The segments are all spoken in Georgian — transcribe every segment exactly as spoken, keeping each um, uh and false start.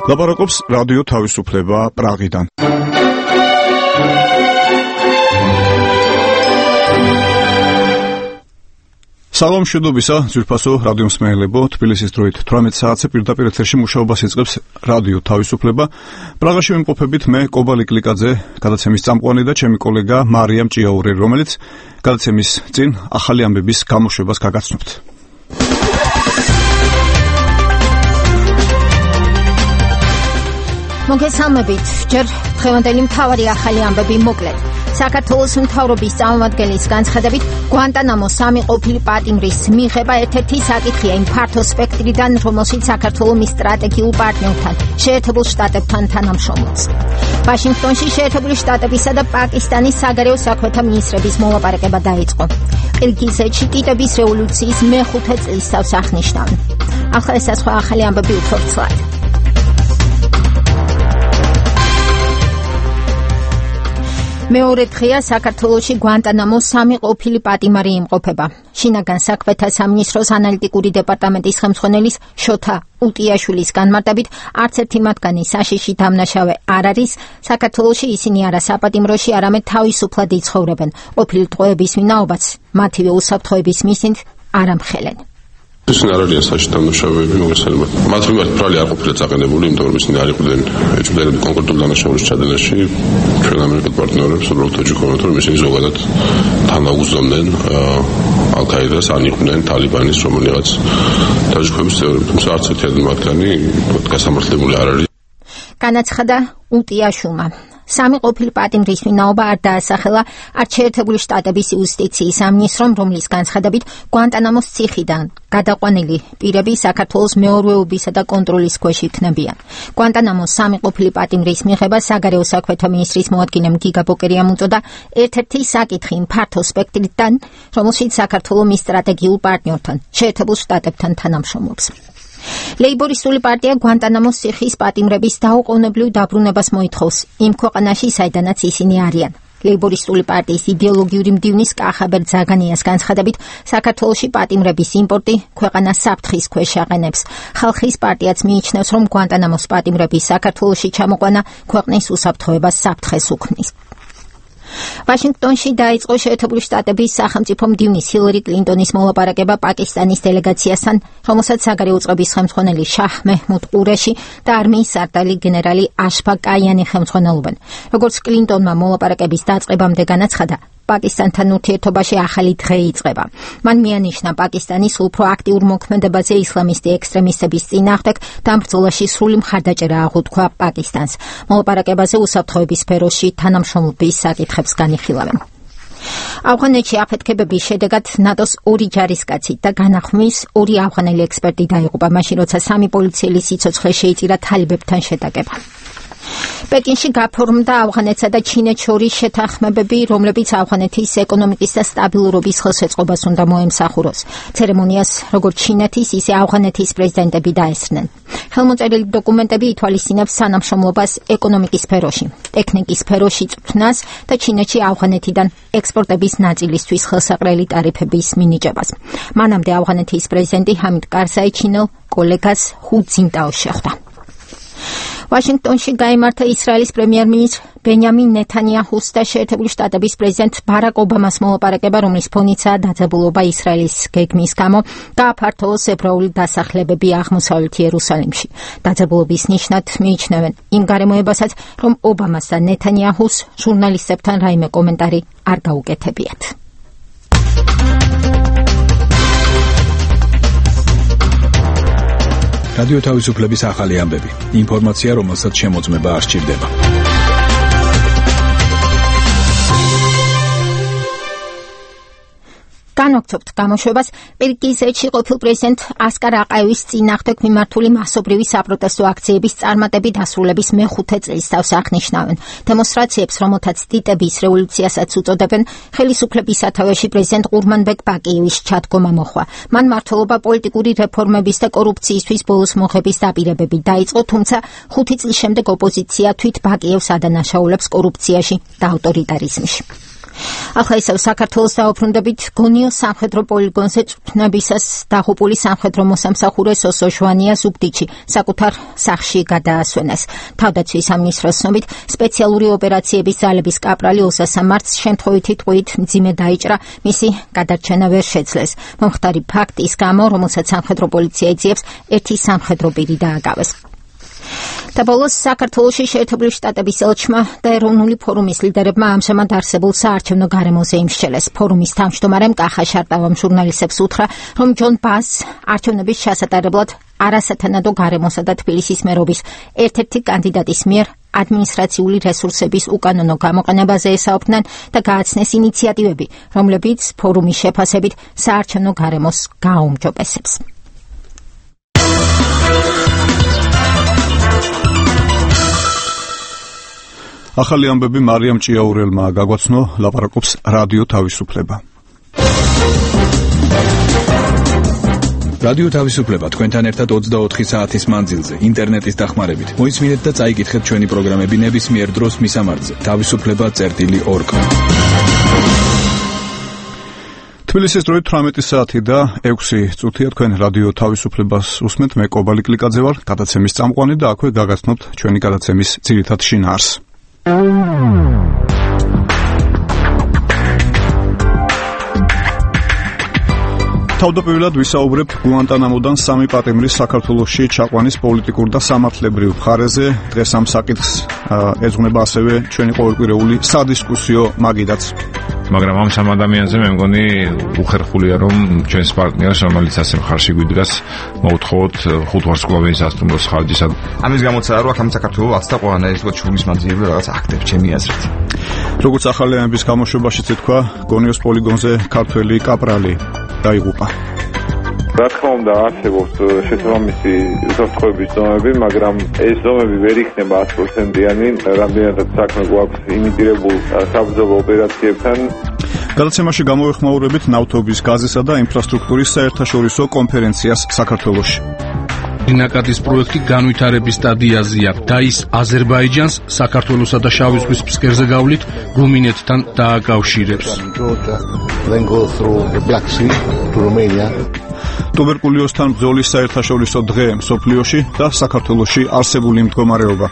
ლაპარაკობს რადიო თავისუფლება პრაღიდან. სალამ მშვიდობისა, ძვირფასო რადიო მსმენელებო, თბილისის დროით თვრამეტ საათზე პირდაპირ ეთერში მუშაობას იწყებს რადიო თავისუფლება. პრაღაში ვიმყოფებით მე კობალი კლიკაძე, გადაცემის წამყვანი და ჩემი კოლეგა მარიამ ჭიაური, რომელიც გადაცემის წინ ახალი ამბების გამოშვებას გაგაცნობთ. მოგესალმებით, ჯერ დღევანდელი მთავარი ახალი ამბები მოკლედ. საქართველოს მთავრობის წარმომადგენლის განცხადებით, გვანტანამოს სამი ყოფილი პატიმრის მიღება ერთ-ერთი საკითხია იმ ფართო სპექტრიდან, რომელშიც საქართველოს მის სტრატეგიულ პარტნიორთან, შეერთებულ შტატებთან თანამშრომლობს. ვაშინგტონში შეერთებული შტატებისა და პაკისტანის საგარეო საქმეთა მინისტრების მოლაპარაკება დაიწყო. ყირგიზეთში კიტების რევოლუციის მეხუთე წლისთავს აღნიშნავენ. ახლა ეს სხვა ახალი ამბები უფრო ცალად. მეორე დღეა საქართველოში გვანტანამოს სამი ყოფილი პატიმარი იმყოფება. შინაგან საქმეთა სამინისტროს ანალიტიკური დეპარტამენტის ხელმძღვანელის შოთა უტიაშვილის განმარტებით, არც ერთი მათგანი საშიში დამნაშავე არ არის. საქართველოში ისინი არა საპატიმროში, არამედ თავისუფლად იცხოვრებენ. ყოფილი ტყვეების ვინაობაც მათივე უსაფრთხოების მიზნით არ ამხელენ. ისინი არ არიან საშიში დამნაშავეები, მოგესალმებით. მათ მიმართ ბრალი არ ყოფილა წაყენებული, იმიტომ რომ ისინი არ იყვნენ ეჭვმდებიან კონკრეტულ დანაშაულის ჩადენაში. ჩვენ ამერიკელ პარტნიორებს უბრალოდ ვეჯიქვამთ, რომ ისინი ზოგადად თანაუგზნობდნენ ალ-ყაიდას, ან იყვნენ თალიბანის რომელიღაც დაჯგუფების წევრები, თუმცა არც ერთი მათგანი გასამართლებული არ არის. განაცხადა უტიაშვილმა. სამი ყოფილი პატიმრის ვინაობა არ დაასახელა არც შეერთებული შტატების იუსტიციის სამინისტრომ, რომლის განცხადებით გვანტანამოს ციხიდან გადაყვანილი პირები საქართველოს მეურვეობისა და კონტროლის ქვეშ იქნებიან. გვანტანამოს სამი ყოფილი პატიმრის მიღება საგარეო საქმეთა მინისტრის მოადგილემ გიგა ბოკერიამ უწოდა ერთ-ერთი საკითხი იმ ფართო სპექტრიდან, რომელშიც საქართველოს მის სტრატეგიულ პარტნიორთან, შეერთებულ შტატებთან თანამშრომლობს. ლეიბორისტული პარტია გვანტანამოს ციხის პატიმრების დაუყოვნებლივ დაბრუნებას მოითხოვს იმ ქვეყანაში, საიდანაც ისინი არიან. ლეიბორისტული პარტიის იდეოლოგიური მდივნის კახაბერ ძაგანიას განცხადებით, საქართველოში პატიმრების იმპორტი ქვეყანას საფრთხის ქვეშ აყენებს. ხალხის პარტიაც მიიჩნევს, რომ გვანტანამოს პატიმრების საქართველოში ჩამოყვანა ქვეყნის უსაფრთხოებას საფრთხეს უქმნის. ვაშინგტონში დაიწყო შეერთებული შტატების სახელმწიფო მდივნის ჰილარი კლინტონის მოლაპარაკება პაკისტანის დელეგაციასთან, რომელსაც საგარეო წყობის ხელმძღვანელი შაჰ მეჰმუდ ყურეში და არმიის სარდალი გენერალი აშფაყ კაიანი ხელმძღვანელობენ. როგორც კლინტონმა მოლაპარაკების დაწყებამდე განაცხადა, პაკისტანთან ურთიერთობაში ახალი დღე იწყება. მან მიანიშნა პაკისტანის უფრო აქტიურ მოქმედებაზე ისლამისტი ექსტრემისტების წინააღმდეგ და ამ ბრძოლაში სრული მხარდაჭერა აღუთქვა პაკისტანს. მოლაპარაკებაზე უსაფრთხოების სფეროში თანამშრომლობის საკითხებს განიხილავენ. ავღანეთში აფეთქებების შედეგად ნატოს ორი ჯარისკაცი და განახმის ორი ავღანელი ექსპერტი დაიღუპა, მაშინ როცა სამი პოლიციელი სიცოცხლე შეიწირა თალიბებთან შეტაკება. პეკინში გაფორმდა ავღანეთსა და ჩინეთს შორის შეთანხმებები, რომლებიც ავღანეთის ეკონომიკის და სტაბილურობის ხელშეწყობას უნდა მოემსახუროს. ცერემონიას როგორც ჩინეთის, ისე ავღანეთის პრეზიდენტები დაესწრნენ. ხელმოწერილი დოკუმენტები ითვალისწინებს სანამშრომლობას ეკონომიკის სფეროში, ტექნიკის სფეროში წვრთნას და ჩინეთში ავღანეთიდან ექსპორტების ნაწილისთვის ხელსაყრელი ტარიფების მინიჭებას. მანამდე ავღანეთის პრეზიდენტი ჰამიდ კარზაი ჩინელ კოლეგას ჰუ ძინტაოს შეხვდა. ვაშინგტონში გაიმართა ისრაელის პრემიერ-მინისტრ ბენიამინ ნეთანიაჰუს და შეერთებული შტატების პრეზიდენტ ბარაკ ობამას მოლაპარაკება, რომლის ფონიცაა დაძაბულობა ისრაელის გეგმის გამო გააფართოვოს ებრაული დასახლებები აღმოსავლეთ იერუსალიმში. დაძაბულობის ნიშნად მიიჩნევენ იმ გარემოებასაც, რომ ობამას და ნეთანიაჰუს ჟურნალისტებთან რაიმე კომენტარი არ გაუკეთებიათ. რადიო თავისუფლების ახალი ამბები. ინფორმაცია, რომელსაც შემოწმება არ სჭირდება. განვაგრძობთ გამოშვებას. ყირგიზეთში ყოფილ პრეზიდენტ ასკარ აყაევის წინააღმდეგ მიმართული მასობრივი საპროტესტო აქციების წარმატებით დასრულების მეხუთე წლისთავს აღნიშნავენ. დემონსტრაციებს, რომელთაც ტიტების რევოლუციასაც უწოდებენ, ხელისუფლების სათავეში პრეზიდენტ ყურმანბეკ ბაკიევის ჩადგომა მოხდა. მან მმართველობა პოლიტიკური რეფორმების და კორუფციისთვის ბოლოს მოხების დაპირებები დაიწყო, თუმცა ხუთი წლის შემდეგ ოპოზიცია თვით ბაკიევს ადანაშაულებს კორუფციაში და ავტორიტარიზმში. ახლა ისევ საქართველოს დაუბრუნდებით გონიოს სამხედრო პოლიგონზე წვრთნებისას დაღუპული სამხედრო მოსამსახურე სოსო ჟვანია ზუგდიდში საკუთარ სახლში გადაასვენეს. თავდაცვის სამინისტროს ცნობით სპეციალური ოპერაციების ძალების კაპრალი ოსასა მარტს შემთხვევითი ტყვიით მძიმე დაიჭრა, მისი გადარჩენა ვერ შეძლეს. მომხდარი ფაქტის გამო, რომელსაც სამხედრო პოლიცია ეძიებს, ერთი სამხედრო პირი დააკავეს. და ბოლოს საქართველოში შეერთებული შტატების ელჩმა და ეროვნული ფორუმის ლიდერებმა ამჟამად არსებულ საარჩევნო გარემოზე იმსჯელეს. ფორუმის თავმჯდომარემ კახა შარტავამ ჟურნალისტებს უთხრა, რომ ჯონ ბას არჩევნების ჩასატარებლად არასათანადო გარემოსა და თბილისის მერობის ერთ-ერთი კანდიდატის მიერ ადმინისტრაციული რესურსების უკანონო გამოყენებაზე ესაუბრნენ და გააცნეს ინიციატივები, რომლებიც ფორუმის შეფასებით საარჩევნო გარემოს გააუმჯობესებს. ახალი ამბები მარიამ ჭიაურელმა გაგვაცნო, ლაპარაკობს რადიო თავისუფლება. რადიო თავისუფლება თქვენთან ერთად ოცდაოთხი საათის მანძილზე ინტერნეტის დახმარებით. მოისმინეთ და წაიკითხეთ ჩვენი პროგრამები ნებისმიერ დროს მისამართზე თავისუფლება წერტილი ორგ. თბილისის დროით თვრამეტი საათი და ექვსი წუთია. თქვენ რადიო თავისუფლებას უსმენთ, მე კობალი კლიკაძე ვარ, გადაცემის წამყვანი და აქვე გაგაცნობთ ჩვენი გადაცემის ძირითად შინაარსს. თავდაპირველად ვისაუბრებთ გუანტანამოდან სამი პატიმრის საქართველოში ჩაყვანის პოლიტიკურ და სამართლებრივ მხარეზე. დღეს ამ საკითხს ეძღვნება ასევე ჩვენი ყოველკვირეული სადისკუსიო მაგიდაც. მაგრამ ამ სამ ადამიანზე მე მგონი უხერხულია, რომ ჩვენს პარტნიორს, რომელიც ასე მხარში გვიდგას, მოვთხოვოთ ხუთ ვარსკვლავიანი სასტუმროს ხარჯისა. ამის გამოცდა რო აქ ამ საქართველოს ათსა ყველანაირი თქო ჩულის მანძილები რაღაც აქტებს ჩემი აზრით. როგორც ახალი ამბის გამოშვებაშიც ეთქვა, გონიოს პოლიგონზე ქართველი კაპრალი დაიღუპა. რა თქმა უნდა არსებობს შესაბამისი უსაფრთხოების ზომები, მაგრამ ეს ზომები ვერ იქნება ათი პროცენტიანი, რამდენადაც საქმე გვაქვს იმიტირებულ საბრძოლო ოპერაციებთან. გადაცემაში გამოვეხმაურებით ნავთობის, გაზისა და ინფრასტრუქტურის საერთაშორისო კონფერენციას საქართველოში. ნაკადის პროექტი განვითარების სტადიაზეა და ის აზერბაიჯანს, საქართველოსა და შავი ზღვის ფსკერზე გავლით რუმინეთთან დააკავშირებს. ტუბერკულოზთან ბრძოლის საერთაშორისო დღე მსოფლიოში და საქართველოში არსებული მდგომარეობა.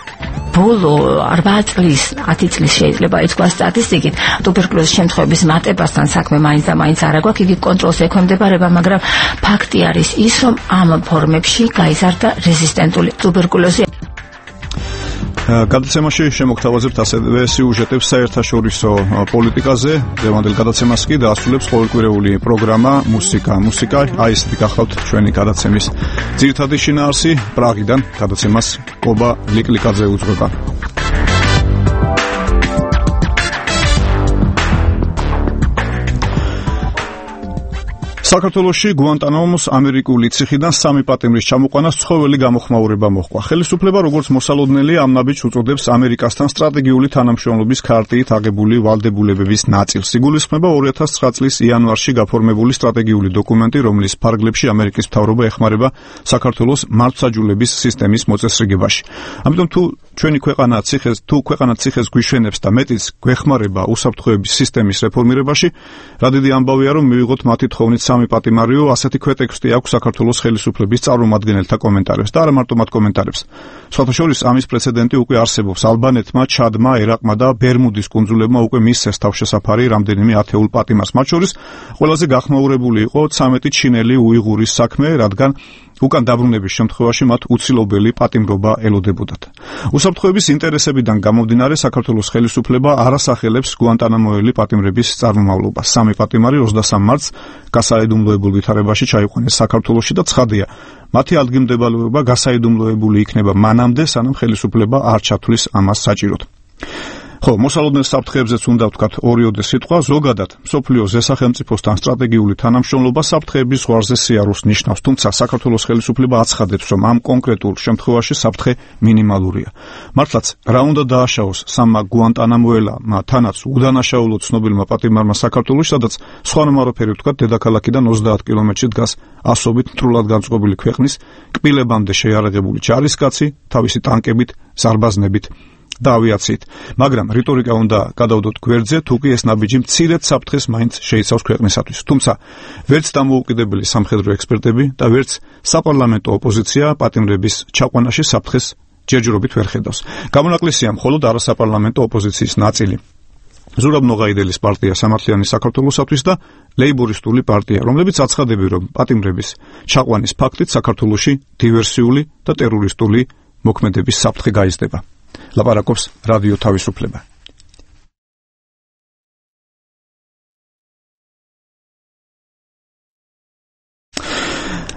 ბოლო ორმაგი წლის, ათი წლის შეიძლება ითქვას სტატისტიკით, ტუბერკულოზის შემთხვევების მატებასთან საქმე მაინც და მაინც არ აქვს, იგი კონტროლს ექვემდებარება, მაგრამ ფაქტი არის ის, რომ ამ ფორმებში გაიზარდა რეზისტენტული ტუბერკულოზი. გადაცემაში შემოგთავაზებთ ასევე სიუჟეტებს საერთაშორისო პოლიტიკაზე. დღევანდელ გადაცემას კი დაასრულებს ყოველკვირეული პროგრამა მუსიკა. მუსიკა, აი ესეთი გახლავთ ჩვენი გადაცემის ძირითადი შინაარსი. პრაღიდან გადაცემას კობა ლიკლიკაძე უძღვება. საქართველოში გუანტანამოს ამერიკული ციხიდან სამი პატიმრის ჩამოყვანას ცხოველი გამოხმაურება მოჰყვა. ხელისუფლება როგორც მოსალოდნელი ამ ნაბიჯს უწოდებს ამერიკასთან სტრატეგიული თანამშრომლობის ქარტიით აღებული ვალდებულებების ნაწილს. იგულისხმება ორი ათას ცხრა წლის იანვარში გაფორმებული სტრატეგიული დოკუმენტი, რომლის ფარგლებში ამერიკის მთავრობა ეხმარება საქართველოს მართლმსაჯულების სისტემის მოწესრიგებაში. ამიტომ თუ ჩვენი ქვეყანა ციხეს თუ ქვეყანა ციხეს გვიშვენებს და მეტიც გვეხმარება უსაფრთხოების სისტემის რეფორმირებაში, რა დიდი ამბავია, რომ მივიღოთ მათი თხოვნით სამი პატიმარიო, ასეთი ქვეტექსტი აქვს საქართველოს ხელისუფლების წარმომადგენელთა კომენტარებს და არა მარტო მათ კომენტარებს. სხვათა შორის ამის პრეცედენტი უკვე არსებობს. ალბანეთმა, ჩადმა, ერაყმა და ბერმუდის კუნძულებმა უკვე მისცეს თავშესაფარი რამდენიმე ათეულ პატიმარს. მათ შორის ყველაზე გახმაურებული იყო ცამეტი ჩინელი უიღურის საქმე, რადგან უკან დაბრუნების შემთხვევაში მათ უცილობელი პატიმრობა ელოდებოდათ. უსაფრთხოების ინტერესებიდან გამომდინარე, საქართველოს ხელისუფლება არ ასახელებს გუანტანამოელი პატიმრების წარმომავლობას. სამი პატიმარი ოცდასამ მარტს გასაიდუმლოებულ ვითარებაში ჩაიყვანეს საქართველოში და ცხადია, მათი ადგილმდებარეობა გასაიდუმლოებული იქნება მანამდე, სანამ ხელისუფლება არ ჩათვლის ამას საჭიროდ. ხო, მოსალოდნელ საფრთხეებზეც უნდა ვთქვათ ორიოდე სიტყვა. ზოგადად, მსოფლიოს ზესახელმწიფოსთან სტრატეგიული თანამშრომლობა საფრთხეების ზღვარზე სიარულს ნიშნავს, თუმცა საქართველოს ხელისუფლება აცხადებს, რომ ამ კონკრეტულ შემთხვევაში საფრთხე მინიმალურია. მართლაც, რა უნდა დააშაოს სამმა გუანტანამოელმა თანაც უდანაშაულოდ ცნობილმა პატიმარმა საქართველოში, სადაც სხვანაირ ფერი ვთქვათ, დედაქალაქიდან ოცდაათ კილომეტრში დგას ასობით მტრულად განწყობილი ქვეყნის კბილებამდე შეიარაღებული ჯარისკაცი, თავისი ტანკებით, ზარბაზნებით. და ავიაციით, მაგრამ რიტორიკა უნდა გადავდოთ გვერდზე, თუ კი ეს ნაბიჯი მცირედ საფრთხეს მაინც შეიცავს ქვეყნისათვის. თუმცა ვერც დამოუკიდებელი სამხედრო ექსპერტები და ვერც საპარლამენტო ოპოზიცია პატიმრების ჩაყვანაში საფრთხეს ჯერჯერობით ვერ ხედავს. გამონაკლისია მხოლოდ არასაპარლამენტო ოპოზიციის ნაწილი. ზურაბ ნოღაიდელის პარტია სამართლიანი საქართველოსათვის და ლეიბორისტული პარტია, რომლებიც აცხადებენ, რომ პატიმრების ჩაყვანის ფაქტით საქართველოში დივერსიული და ტერორისტული მოქმედების საფრთხე გაიზრდება. ლაპარაკობს რადიო თავისუფლება.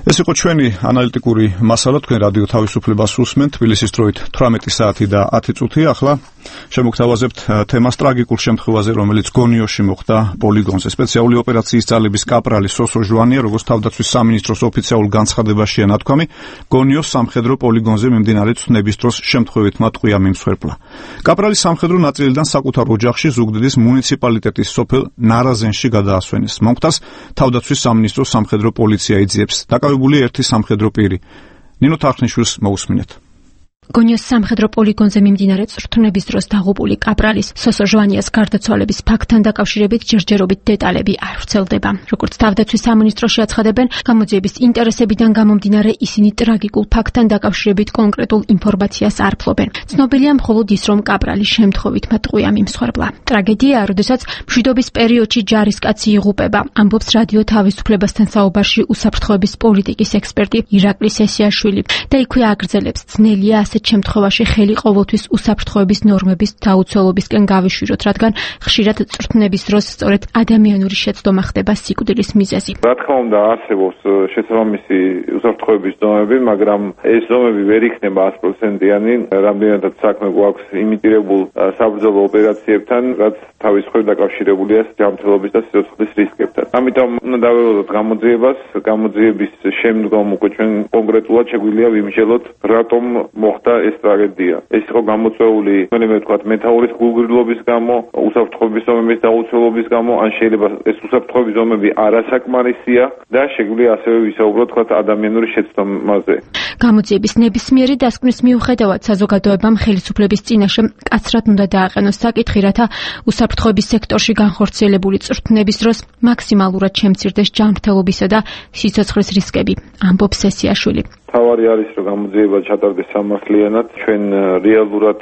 ეს იყო ჩვენი ანალიტიკური მასალა, თქვენ რადიო თავისუფლებას უსმენთ, თბილისის დროით თვრამეტი საათი და ათი წუთი. ახლა შემოგთავაზებთ თემას ტრაგიკულ შემთხვევაზე, რომელიც გონიოში მოხდა პოლიგონზე. სპეციალური ოპერაციის ძალების კაპრალი სოსო ჟვანია, როგორც თავდაცვის სამინისტროს ოფიციალურ განცხადებაშია ნათქვამი, გონიოს სამხედრო პოლიგონზე მიმდინარე ცნების დროს შემთხვევითმა ტყვია მიმსხვერპლა. კაპრალი სამხედრო ნაწილიდან საკუთარ ოჯახში ზუგდიდის მუნიციპალიტეტის სოფელ ნარაზენში გადაასვენეს. მომხდარს თავდაცვის სამინისტროს სამხედრო პოლიცია იძიებს. დაკავებული ერთი სამხედრო პირი. ნინო თარხნიშვილს მოусმინეთ. გონიოს სამხედრო პოლიგონზე მიმდინარე წვრთნების დროს დაღუპული კაპრალის სოსო ჟვანიას გარდაცვალების ფაქტთან დაკავშირებით ჯერჯერობით დეტალები არ ვრცელდება. როგორც თავდაცვის სამინისტროში აცხადებენ, გამოძიების ინტერესებიდან გამომდინარე ისინი ტრაგიკულ ფაქტთან დაკავშირებით კონკრეტულ ინფორმაციას არ ფლობენ. ცნობილია მხოლოდ ის, რომ კაპრალი შემთხვევითმა ტყვია მიმსხვერპლა. ტრაგედიაა, როდესაც მშვიდობის პერიოდში ჯარისკაცი იღუპება, ამბობს რადიო თავისუფლებასთან საუბარში უსაფრთხოების პოლიტიკის ექსპერტი ირაკლი სესიაშვილი და იქვე აგრძელებს, ძნელია ასეთ შემთხვევაში ხელი ყოველთვის უსაფრთხოების ნორმების დაუცველობისკენ გავიშვიროთ, რადგან ხშირად წვრთნების დროს სწორედ ადამიანური შეცდომა ხდება სიკვდილის მიზეზი. რა თქმა უნდა, არსებობს შესაბამისი უსაფრთხოების ზომები, მაგრამ ეს ზომები ვერ იქნება ათი პროცენტიანი, რამდენადაც საქმე გვაქვს იმიტირებულ საბრძოლო ოპერაციებთან, რაც თავის მხრივ დაკავშირებულია ჯანმრთელობის და სიცოცხლის რისკებთან. ამიტომ უნდა დავეულოთ გამოძიებას, გამოძიების შემდგომ უკვე ჩვენ კონკრეტულად შეგვიძლია ვიმსჯელოთ, რატომ მოხდა ეს ტრაგედია. ეს იყო გამოწვეული, მე ვთქვათ, მეთაურის გულგრილობის გამო, უსაფრთხოების ზომების დაუცველობის გამო, ან შეიძლება ეს უსაფრთხოების ზომები არასაკმარისია და შეგვიძლია ასევე ვისაუბროთ, თქვათ, ადამიანური შეცდომაზე. გამოძიების ნებისმიერი დასკვნის მიუხედავად საზოგადოებამ ხელისუფლების წინაშე კაცრად უნდა დააყენოს საკითხი, რათა უსაფრთხოების სექტორში განხორციელებული წვრთნების დროს მაქსიმალურად შემცირდეს ჯანმრთელობისა და სიცოცხლის რისკები, ამბობს სესიაშვილი. თავარი არის, რომ გამოძიება ჩატარდეს სამართლიანად, ჩვენ რეალურად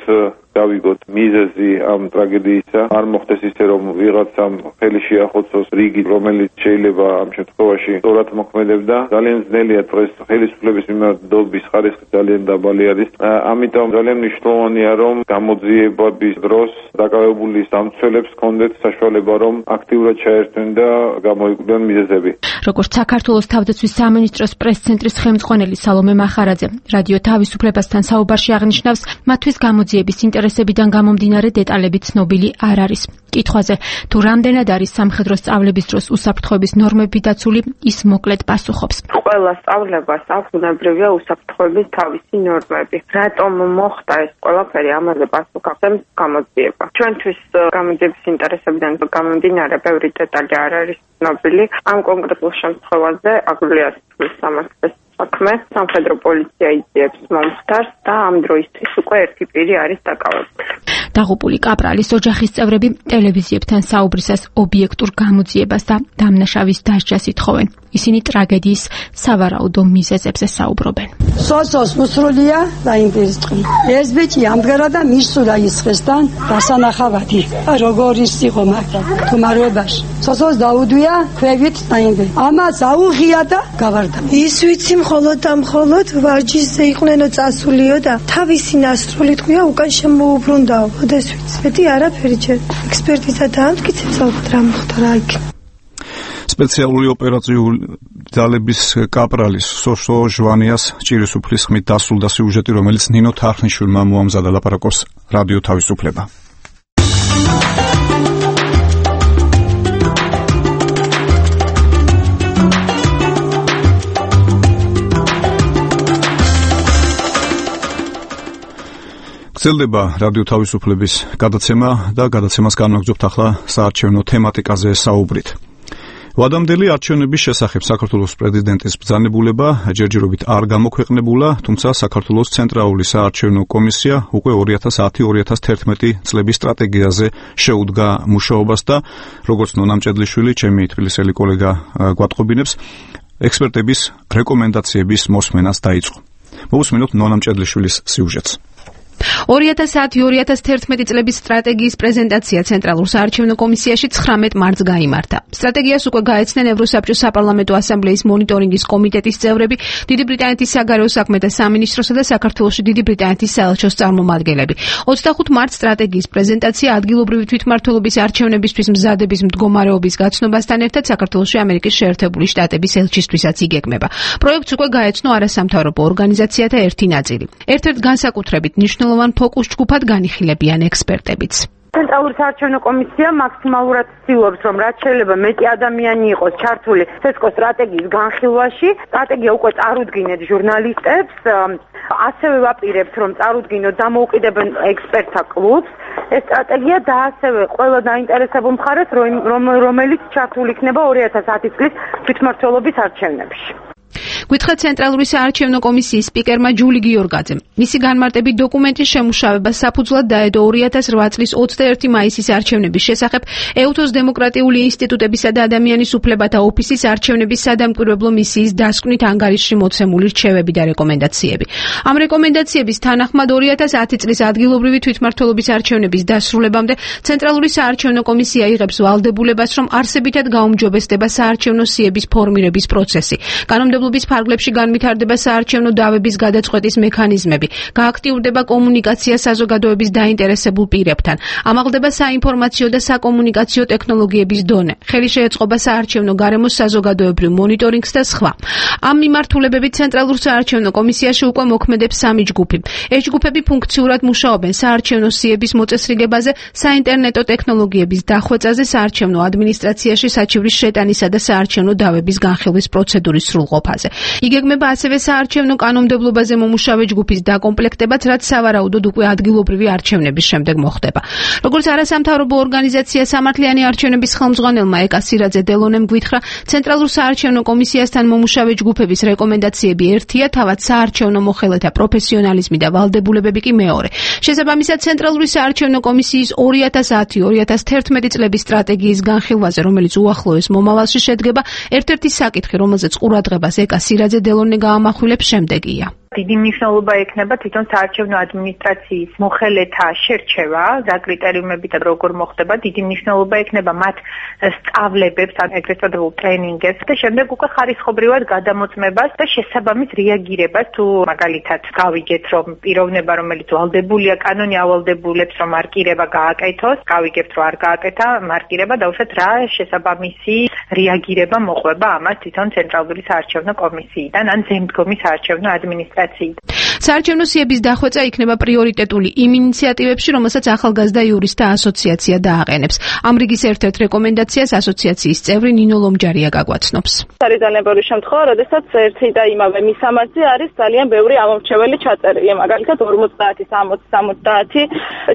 გავიგოთ მიზეზი ამ ტრაგედიისა, არ მოხდეს ისე, რომ ვიღაცამ ხელი შეახოცოს რიგი, რომელიც შეიძლება ამ შემთხვევაში სწორად მოქმედებდა. ძალიან ძნელია დღეს ხელისუფლების მიმართობის ხარისხი ძალიან დაბალი არის. ამიტომ ძალიან მნიშვნელოვანია, რომ გამოძიებების დროს დაკავებული სამცველებს ჰქონდეთ საშუალება, რომ აქტიურად ჩაერთვენ და გამოიკვლიონ მიზეზები. როგორც საქართველოს თავდაცვის სამინისტროს პრეს-ცენტრის ხელმძღვანელი სალომე მახარაძე რადიო თავისუფლებასთან საუბარში აღნიშნავს, მათთვის გამოძიების ინტერესებიდან გამომდინარე დეტალები ცნობილი არ არის. კითხვაზე, თუ რამდენად არის სამხედრო სწავლების დროს უსაფრთხოების ნორმები დაცული, ის მოკლედ პასუხობს. ყველა სწავლებას აქვს ბუნებრივია უსაფრთხოების თავისი ნორმები. რატომ მოხდა ეს ყველაფერი, ამაზე პასუხს ახდენს გამოძიება. ჩვენთვის გამოძიების ინტერესებიდან გამომდინარე ბევრი დეტალი არ არის ცნობილი. ამ კონკრეტულ შემთხვევაზე აგვიძლია თვლის სამართლის საქმე, სამხედრო პოლიცია იძიებს მომხდარს და ამ დროისთვის უკვე ერთი პირი არის დაკავებული. დაღუპული კაპრალის ოჯახის წევრები ტელევიზიებთან საუბრისას ობიექტურ გამოძიებას და დამნაშავის დასჯას ითხოვენ. ისინი ტრაგედიის სავარაუდო მიზეზებზე საუბრობენ. სოსოს უსრულია დაინტერესდა. ეს ბიჭი ამდგარა და მისულა ისხესთან დასანახავადი. როგორ ის იყო მაგრამ თუმარობაში. სოსოს დაუდვია ქვევით დაინტერესდა. ამას აუღია და გავარდა. ის ვიცი მხოლოდ და მხოლოდ ვარჯიშზე იყვნენო წასულიო და თავისი ნასროლი თქვია უკან შემოუბრუნდაო. ოდეს ვიცი. მეტი არაფერი ჯერ ექსპერტიზა დაამტკიცებს ალბათ რა მოხდა რა იქ. სპეციალური ოპერაციული ძალების კაპრალის სოსო ჟვანიას ჭირისუფლის ხმით დასრულდა სიუჟეტი, რომელიც ნინო თარხნიშვილმა მოამზადა. ლაპარაკობს რადიო თავისუფლება. გრძელდება რადიო თავისუფლების გადაცემა და გადაცემას განვაგრძობთ ახლა საარჩევნო თემატიკაზე საუბრით. ვადამდელი არჩევნების შესახებ საქართველოს პრეზიდენტის ბრძანებულება ჯერჯერობით არ გამოქვეყნებულა, თუმცა საქართველოს ცენტრალური საარჩევნო კომისია უკვე ორი ათას ათი ორი ათას თერთმეტი წლების სტრატეგიაზე შეუდგა მუშაობას და როგორც ნონა მჭედლიშვილი, ჩემი თბილისელი კოლეგა გვატყობინებს, ექსპერტების რეკომენდაციების მოსმენას დაიწყო. მოვუსმინოთ ნონა მჭედლიშვილის სიუჟეტს. ორი ათას ათი ორი ათას თერთმეტი წლების სტრატეგიის პრეზენტაცია ცენტრალურ საარჩევნო კომისიაში ცხრამეტ მარტს გაიმართა. სტრატეგიას უკვე გაეცნენ ევროსაბჭოს საპარლამენტო ასამბლეის მონიტორინგის კომიტეტის წევრები, დიდი ბრიტანეთის საგარეო საქმეთა სამინისტროსა და საქართველოში დიდი ბრიტანეთის საელჩოს წარმომადგენლები. ოცდახუთ მარტს სტრატეგიის პრეზენტაცია ადგილობრივი თვითმმართველობის არჩევნებისთვის მზადების მდგომარეობის გაცნობასთან ერთად საქართველოში ამერიკის შეერთებული შტატების ელჩისთვისაც იგეგმება. პროექტს უკვე გაეცნო არასამთავრობო ორგანიზაციათა ერთი ნაწილი. ერთ-ერთ განსაკუთრებით მნიშვნელოვან ფოკუს ჯგუფად განიხილებიან ექსპერტებიც. ცენტრალური საარჩევნო კომისია მაქსიმალურად ცდილობს, რომ რაც შეიძლება მეტი ადამიანი იყოს ჩართული ცესკო სტრატეგიის განხილვაში. სტრატეგია უკვე წარუდგინეთ ჟურნალისტებს, ასევე ვაპირებთ, რომ წარუდგინოთ დამოუკიდებელ ექსპერტთა კლუბს. ეს სტრატეგია და ასევე ყველა დაინტერესებულ მხარეს, რომელიც ჩართული იქნება ორი ათას ათი წლის თვითმმართველობის არჩევნებში. გითხრა ცენტრალური საარჩევნო კომისიის სპიკერმა ჯული გიორგაძემ. მისი განმარტებით დოკუმენტის შემუშავება საფუძვლად დაედო ორი ათას რვა წლის ოცდაერთი მაისის არჩევნების შესახებ ეუთოს დემოკრატიული ინსტიტუტებისა და ადამიანის უფლებათა ოფისის არჩევნების სადამკვირვებლო მისიის დასკვნით ანგარიშში მოცემული რჩევები და რეკომენდაციები. ამ რეკომენდაციების თანახმად ორი ათას ათი წლის ადგილობრივი თვითმმართველობის არჩევნების დასრულებამდე ცენტრალური საარჩევნო კომისია იღებს ვალდებულებას, რომ არსებითად გაუმჯობესდება საარჩევნო სიების ფორმირების პროცესი. კანონმდებლობის ფარგლებში განვითარდება საარჩევნო დავების გადაწყვეტის მექანიზმები, გააქტიურდება კომუნიკაცია საზოგადოების დაინტერესებულ პირებთან, ამაღლდება საინფორმაციო და საკომუნიკაციო ტექნოლოგიების დონე, ხელი შეეწყობა საარჩევნო გარემოს საზოგადოებრივ მონიტორინგს და სხვა. ამ მიმართულებებით ცენტრალურ საარჩევნო კომისიაში უკვე მოქმედებს სამი ჯგუფი. ეს ჯგუფები ფუნქციურად მუშაობენ საარჩევნო სიების მოწესრიგებაზე, საინტერნეტო ტექნოლოგიების დახვეწაზე, საარჩევნო ადმინისტრაციაში საჩივრის შეტანისა და საარჩევნო დავების განხილვის პროცედურის სრულყოფაზე. იგეგმება ასევე საარჩევნო კანონმდებლობაზე მომუშავე ჯგუფის დაკომპლექტებაც, რაც სავარაუდოდ უკვე ადგილობრივი არჩევნების შემდეგ მოხდება. როგორც არასამთავრობო ორგანიზაცია სამართლიანი არჩევნების ხელმძღვანელმა ეკა სირაძე დელონემ გვითხრა, ცენტრალურ საარჩევნო კომისიასთან მომუშავე ჯგუფების რეკომენდაციები ერთია, თავად საარჩევნო მოხელეთა პროფესიონალიზმი და ვალდებულებები კი მეორე. შესაბამისად, ცენტრალური საარჩევნო კომისიის ორი ათას ათი ორი ათას თერთმეტი წლების სტრატეგიის განხილვაზე, რომელიც უახლოეს მომავალში შედგება, ერთ-ერთი საკითხი, რომელზეც ყურადღებას ეკა სირაძე დელონე გაამახვილებს შემდეგია. დიდი მნიშვნელობა ექნება თვითონ საარჩევნო ადმინისტრაციის მოხელეთა შერჩევა, რა კრიტერიუმებით და როგორ მოხდება, დიდი მნიშვნელობა ექნება მათ სწავლებებს, ეგრეთ წოდებულ ტრენინგებს და შემდეგ უკვე ხარისხობრივად გადამოწმებას და შესაბამის რეაგირებას, თუ მაგალითად გავიგეთ, რომ პიროვნება, რომელიც ვალდებულია კანონი ავალდებულებს, რომ მარკირება გააკეთოს, გავიგებთ, რომ არ გააკეთა მარკირება, დაუშვათ რა შესაბამისი რეაგირება მოყვება ამას თვითონ ცენტრალური საარჩევნო კომისიიდან ან ზემდგომი საარჩევნო ადმინისტრაცია. საარჩევნო სიების დახვეწა იქნება პრიორიტეტული იმ ინიციატივებში, რომელსაც ახალგაზრდა იურისტთა ასოციაცია დააყენებს. ამ რიგის ერთ-ერთ რეკომენდაციას ასოციაციის წევრი ნინო ლომჯარია გაგვაცნობს. არის ძალიან ბევრი შემთხვევა, როდესაც ერთი და იმავე მისამართზე არის ძალიან ბევრი ამორჩეველი ჩაწერილი, მაგალითად ორმოცდაათი სამოცი სამოცდაათი.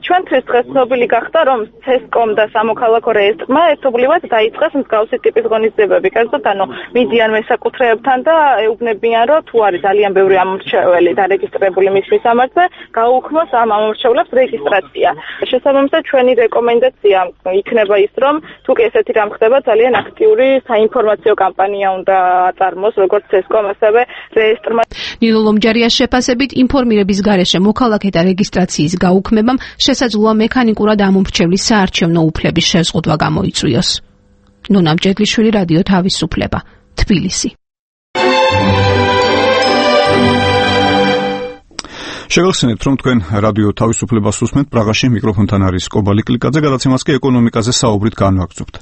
ჩვენთვის დღეს ცნობილი გახდა, რომ ცესკომ და სამოქალაქო რეესტრმა ერთობლივად დაიწყეს მსგავსი ტიპის ღონისძიებები. კერძოდ, ანუ მიდიან მესაკუთრეებთან და ეუბნებიან, რომ თუ არის ძალიან ბევრი ამორჩეველი დარეგისტრირებული მის მისამართზე, გაუქმოს ამ ამორჩევლებს რეგისტრაცია. შესაბამისად, ჩვენი რეკომენდაცია იქნება ის, რომ თუ კი ესეთი რამ ხდება, ძალიან აქტიური საინფორმაციო კამპანია უნდა აწარმოოს, როგორც ცესკომ, ასევე რეესტრმა. ნინო ლომჯარიას შეფასებით, ინფორმირების გარეშე მოქალაქეთა რეგისტრაციის გაუქმებამ შესაძლოა მექანიკურად ამომრჩევლის საარჩევნო უფლების შეზღუდვა გამოიწვიოს. ნონა მჭედლიშვილი, რადიო თავისუფლება, თბილისი. შეგახსენებთ, რომ თქვენ რადიო თავისუფლებას უსმენთ, პრაღაში მიკროფონთან არის კობალი კლიკაძე, გადაცემას კი ეკონომიკაზე საუბრით განვაგრძობთ.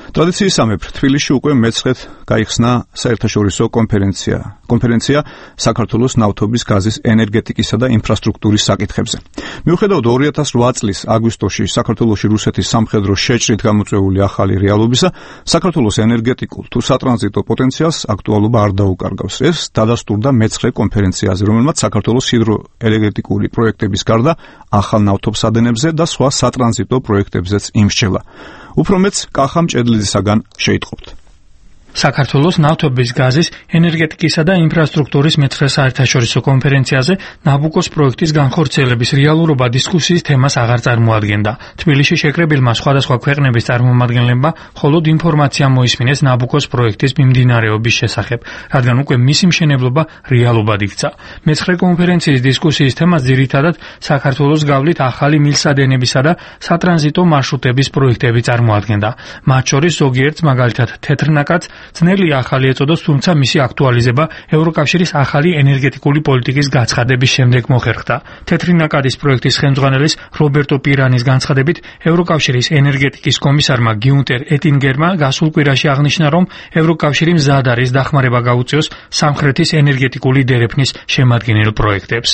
ტრადიციისამებრ თბილისში უკვე მეცხრედ გაიხსნა საერთაშორისო კონფერენცია. კონფერენცია საქართველოს ნავთობის, გაზის, ენერგეტიკისა და ინფრასტრუქტურის საკითხებზე. მიუხედავად ორი ათას რვა წლის აგვისტოში საქართველოში რუსეთის სამხედრო შეჭრით გამოწვეული ახალი რეალობისა, საქართველოს ენერგეტიკულ თუ სატრანზიტო პოტენციალს აქტუალობა არ დაუკარგავს. ეს დადასტურდა მეცხრე კონფერენციაზე, რომელმაც საქართველოს ჰიდროენერგეტიკული პროექტების გარდა ახალ ნავთობსადენებზე და სხვა სატრანზიტო პროექტებზეც იმსჩელა. უფრო მეც კახა მჭედლიძისაგან შეიტყობთ. საქართველოს ნავთობის, გაზის, ენერგეტიკისა და ინფრასტრუქტურის მეცხრე საერთაშორისო კონფერენციაზე ნაბუკოს პროექტის განხორციელების რეალურობა დისკუსიის თემას აღარ წარმოადგენდა. თბილისში შეკრებილმა სხვადასხვა ქვეყნების წარმომადგენლებმა მხოლოდ ინფორმაცია მოისმინეს ნაბუკოს პროექტის მიმდინარეობის შესახებ, რადგან უკვე მისი მშენებლობა რეალობად იქცა. მეცხრე კონფერენციის დისკუსიის თემას ძირითადად საქართველოს გავლით ახალი მილსადენებისა და სატრანზიტო მარშრუტების პროექტები წარმოადგენდა. მათ შორის ზოგიერთს მაგალითად თეთრნაკადს ძნელი ახალი ეწოდოს, თუმცა მისი აქტუალიზება ევროკავშირის ახალი ენერგეტიკული პოლიტიკის გაცხადების შემდეგ მოხერხდა. თეთრი ნაკადის პროექტის ხელმძღვანელის რობერტო პირანის განცხადებით, ევროკავშირის ენერგეტიკის კომისარმა გიუნტერ ეტინგერმა გასულ კვირაში აღნიშნა, რომ ევროკავშირი მზად არის დახმარება გაუწიოს სამხრეთის ენერგეტიკული დერეფნის შემადგენელ პროექტებს.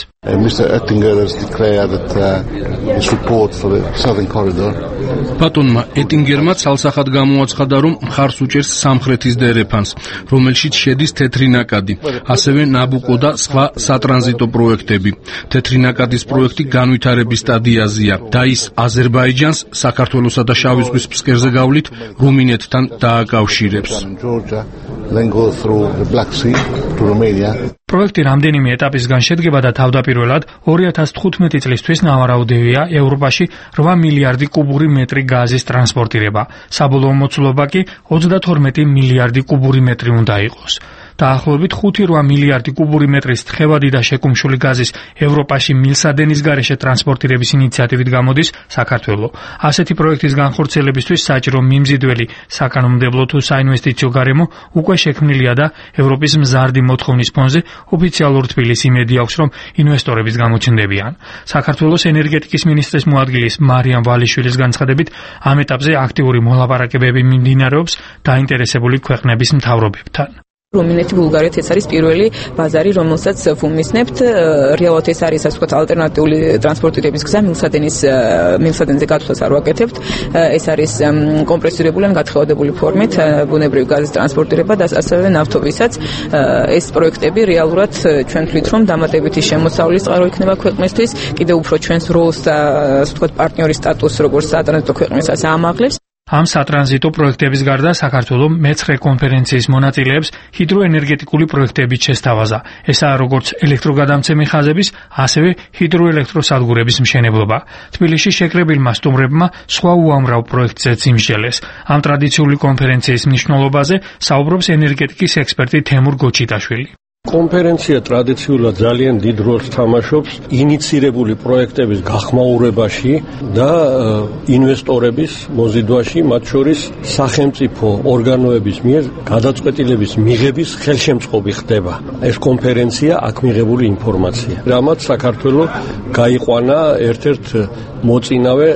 ბატონმა ეტინგერმა ცალსახად გამოაცხადა, რომ მხარს უჭერს სამხრეთის დერეფანს, რომელშიც შედის თეთრი ნაკადი, ასევე ნაბუკო და სხვა სატრანზიტო პროექტები. თეთრი ნაკადის პროექტი განვითარების სტადიაზეა და ის აზერბაიჯანს საქართველოსა და შავი ზღვის ფსკერზე გავლით რუმინეთთან დააკავშირებს. პროექტი რამდენიმე ეტაპისგან შედგება და თავდაპირველად ორი ათას თხუთმეტი წლისთვის ნავარაუდევია ევროპაში რვა მილიარდი კუბური მეტრი გაზის ტრანსპორტირება. საბოლოო მოცულობა კი ოცდათორმეტი მილიარდი კუბური მეტრი უნდა იყოს. დაახლოებით ხუთი რვა მილიარდი კუბური მეტრის თხევადი და შეკუმშული გაზის ევროპაში მილსადენის გარეშე ტრანსპორტირების ინიციატივით გამოდის საქართველო. ასეთი პროექტის განხორციელებისთვის საჭირო მიმზიდველი საკანონმდებლო თუ საინვესტიციო გარემო უკვე შექმნილია და ევროპის მზარდი მოთხოვნის ფონზე ოფიციალურ თბილისს იმედი აქვს, რომ ინვესტორების გამოჩნდებიან. საქართველოს ენერგეტიკის მინისტრის მოადგილის მარიამ ვალიშვილის განცხადებით, ამ ეტაპზე აქტიური მოლაპარაკებები მიმდინარეობს დაინტერესებული ქვეყნების მთავრობებთან. რუმინეთი, ბულგარეთი ეს არის პირველი ბაზარი, რომელსაც ვუმისნებთ. რეალურად ეს არის, ასე ვთქვათ, ალტერნატიული ტრანსპორტირების გზა, მილსადენის მილსადენზე გათვლას არ ვაკეთებთ. ეს არის კომპრესირებული ან გათხევადებული ფორმით ბუნებრივი გაზის ტრანსპორტირება და ასევე ნავთობისაც. ეს პროექტები რეალურად ჩვენ თვლით, რომ დამატებითი შემოსავლის წყარო იქნება ქვეყნისთვის, კიდევ უფრო ჩვენს როლს და ასე ვთქვათ, პარტნიორის სტატუსს როგორც სატრანზიტო ქვეყნისას აამაღლებს. ამ სატრანზიტო პროექტების გარდა საქართველო მეცხრე კონფერენციის მონაწილეებს ჰიდროენერგეტიკული პროექტებით შესთავაზა. ესაა როგორც ელექტროგადამცემი ხაზების, ასევე ჰიდროელექტროსადგურების მშენებლობა. თბილისში შეკრებილმა სტუმრებმა სხვა უამრავ პროექტზეც იმსჯელეს. ამ ტრადიციული კონფერენციის მნიშვნელობაზე საუბრობს ენერგეტიკის ექსპერტი თემურ გოჩიტაშვილი. კონფერენცია ტრადიციულად ძალიან დიდ როლს თამაშობს ინიცირებული პროექტების გახმაურებაში და ინვესტორების მოზიდვაში, მათ შორის სახელმწიფო ორგანოების მიერ გადაწყვეტილების მიღების ხელშემწყობი ხდება. ეს კონფერენცია აქ მიღებული ინფორმაცია, რამაც საქართველო გაიყვანა ერთ-ერთ მოწინავე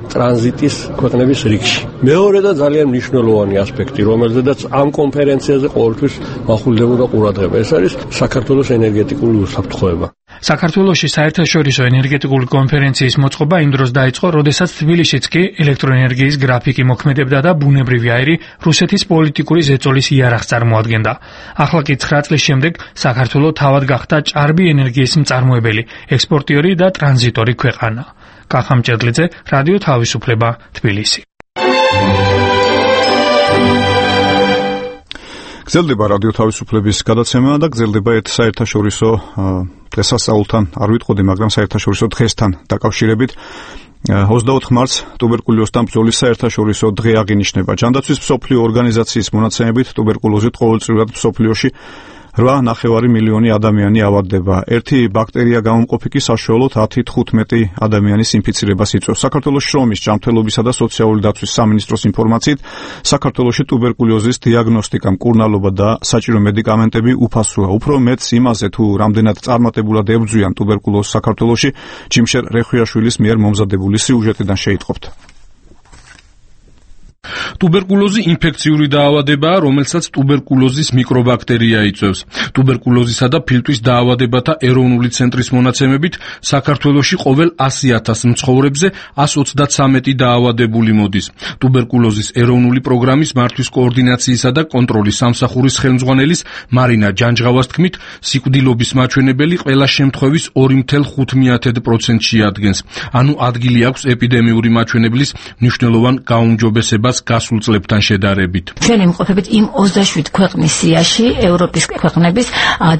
ტრანზიტის ქვეყნების რიგში. მეორე და ძალიან მნიშვნელოვანი ასპექტი, რომელზედაც ამ კონფერენციაზე ყოველთვის მახვილდებოდა ყურადღება, ეს არის საქართველოს ენერგეტიკული უსაფრთხოება. საქართველოში საერთაშორისო ენერგეტიკული კონფერენციის მოწყობა იმ დროს დაიწყო, როდესაც თბილისშიც კი ელექტროენერგიის გრაფიკი მოქმედებდა და ბუნებრივი აირი რუსეთის პოლიტიკური ზეწოლის იარაღს წარმოადგენდა. ახლა კი ცხრა წლის შემდეგ საქართველო თავად გახდა ჭარბი ენერგიის მწარმოებელი, ექსპორტიორი და ტრანზიტორი ქვეყანა. კახამ ჭედლიძე, რადიო თავისუფლება, თბილისი. გრძელდება რადიო თავისუფლების გადაცემა და გრძელდება ერთ საერთაშორისო დღესასწაულთან, არ ვიტყოდი, მაგრამ საერთაშორისო დღესთან დაკავშირებით. ოცდაოთხ მარტს ტუბერკულოზთან ბრძოლის საერთაშორისო დღე აღინიშნება. ჯანდაცვის მსოფლიო ორგანიზაციის მონაცემებით ტუბერკულოზით ყოველწლიურად მსოფლიოში რვა ნახევარი მილიონი ადამიანი ავადდება. ერთი ბაქტერია გამომყოფი კი საშუალოდ ათი თხუთმეტი ადამიანის ინფიცირებას იწვევს. საქართველოს შრომის, ჯანმრთელობისა და სოციალური დაცვის სამინისტროს ინფორმაციით, საქართველოში ტუბერკულოზის დიაგნოსტიკა, მკურნალობა და საჭირო მედიკამენტები უფასოა. უფრო მეტს იმაზე, თუ რამდენად წარმატებულად ებრძვიან ტუბერკულოზს საქართველოში, ჯიმშერ რეხვიაშვილის მიერ მომზადებული სიუჟეტიდან შეიტყობთ. ტუბერკულოზი ინფექციური დაავადებაა, რომელსაც ტუბერკულოზის მიკრობაქტერია იწვევს. ტუბერკულოზისა და ფილტვის დაავადებათა ეროვნული ცენტრის მონაცემებით საქართველოში ყოველ ასი ათას მცხოვრებზე ასს ოცდათსამეტი დაავადებული მოდის. ტუბერკულოზის ეროვნული პროგრამის მართვის კოორდინაციისა და კონტროლის სამსახურის ხელმძღვანელის მარინა ჯანჯღავას თქმით, სიკვდილობის მაჩვენებელი ყველა შემთხვევის ორი ფاصლე ხუთი პროცენტში ადგენს. ანუ ადგილი აქვს ეპიდემიური მაჩვენებლის მნიშვნელოვან გაუმჯობესებას განვითარებას გასულ წლებთან შედარებით. ჩვენ იმყოფებით იმ ოცდაშვიდ ქვეყნის სიაში, ევროპის ქვეყნების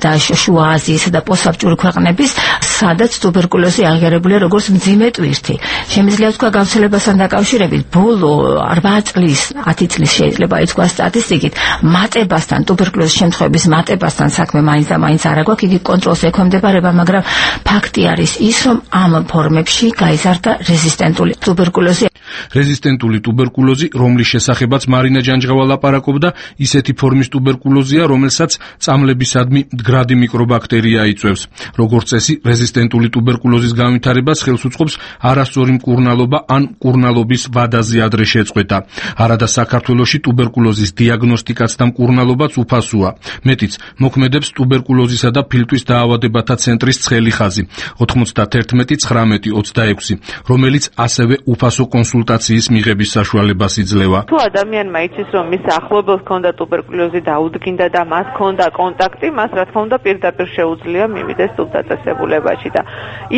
და შუა აზიისა და პოსტსაბჭოური ქვეყნების, სადაც ტუბერკულოზი აღიარებულია როგორც მძიმე ტვირთი. შემიძლია თქვა გავრცელებასთან დაკავშირებით ბოლო რვა წლის, ათი წლის შეიძლება ითქვას სტატისტიკით, მატებასთან, ტუბერკულოზის შემთხვევების მატებასთან საქმე მაინც და მაინც არ აქვს, იგი კონტროლს ექვემდებარება, მაგრამ ფაქტი არის ის, რომ ამ ფორმებში გაიზარდა რეზისტენტული ტუბერკულოზი. რეზისტენტული ტუბერკულოზი, რომლის შესახებაც მარინა ჯანჯღავა ლაპარაკობდა, ისეთი ფორმის ტუბერკულოზია, რომელსაც წამლებისადმი მდგრადი მიკრობაქტერია იწვევს. როგორც წესი, რეზისტენტული ტუბერკულოზის განვითარებას ხელს უწყობს არასწორი მკურნალობა ან მკურნალობის ვადაზე ადრე შეწყვეტა. არადა საქართველოში ტუბერკულოზის დიაგნოსტიკაც და მკურნალობაც უფასოა. მეტიც, მოქმედებს ტუბერკულოზისა და ფილტვის დაავადებათა ცენტრის ცხელი ხაზი ოთხმოცდაერთმეტი ცხრამეტი ოცდაექვსი, რომელიც ასევე უფასო კონსულტაციის მიღების საშუალებას იძლევა. თუ ადამიანმა იცის, რომ მის ახლობელს ჰქონდა ტუბერკულოზი და უდგინდა და მას ჰქონდა კონტაქტი, მას რა თქმა უნდა პირდაპირ შეუძლია მივიდეს ტუბდაწესებულებაში და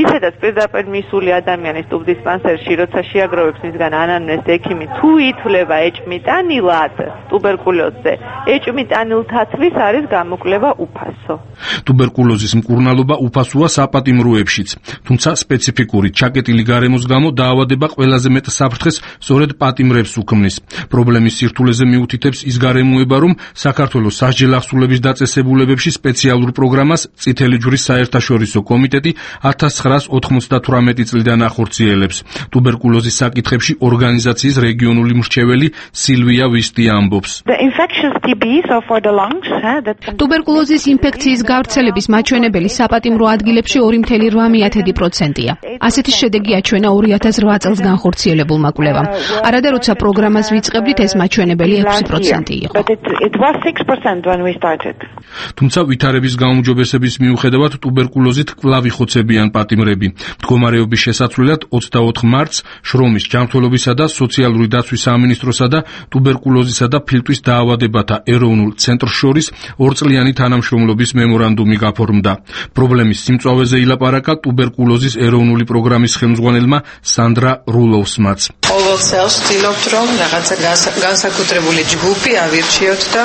ისედაც პირდაპირ მისული ადამიანის ტუბდისპანსერში, როცა შეაგროვებს მისგან ანამნეზს ექიმი, თუ ითვლება ეჭმიტანილად ტუბერკულოზზე, ეჭმიტანილთათვის არის გამოკვლევა უფასო. ტუბერკულოზის მკურნალობა უფასოა საპატიმროებშიც, თუმცა სპეციფიკური ჩაკეტილი გარემოს გამო დაავადება ყველაზე მეტ საფრთხეს სწორედ პატიმრებს უქმნის. პრობლემის სირთულეზე მიუთითებს ის გარემოება, რომ საქართველოს სასჯელ ახსულების დაწესებულებებში სპეციალურ პროგრამას წითელი ჯვრის საერთაშორისო კომიტეტი ათას ცხრაას ოთხმოცდათვრამეტი წლიდან ახორციელებს. ტუბერკულოზის საკითხებში ორგანიზაციის რეგიონული მრჩეველი სილვია ვისტი ამბობს. ტუბერკულოზის ინფექციის გავრცელების მაჩვენებელი საპატიმრო ადგილებში ორი მთელი რვა მეათედი პროცენტია. ასეთი შედეგი აჩვენა ორი ათას რვა წელს განხორციელებულმა კვლევამ. არადა როცა პროგრამას ვიწყებდით, ეს მაჩვენებელი ექვსი პროცენტი იყო. თუმცა ვითარების გაუმჯობესების მიუხედავად ტუბერკულოზით კვლავ იხოცებიან პატიმრები. მდგომარეობის შესაცვლელად ოცდაოთხ მარტს შრომის, ჯანმრთელობისა და სოციალური დაცვის სამინისტროსა და ტუბერკულოზისა და ფილტვის დაავადებათა ეროვნულ ცენტრს შორის ორწლიანი თანამშრომლობის მემორანდუმი გაფორმდა. პრობლემის სიმწვავეზე ილაპარაკა ტუბერკულოზის ეროვნული პროგრამის ხელმძღვანელმა სანდრა რულოვსმაც. ყოველ წელს ვცდილობთ, რომ რაღაცა განსაკუთრებული ჯგუფი ავირჩიოთ და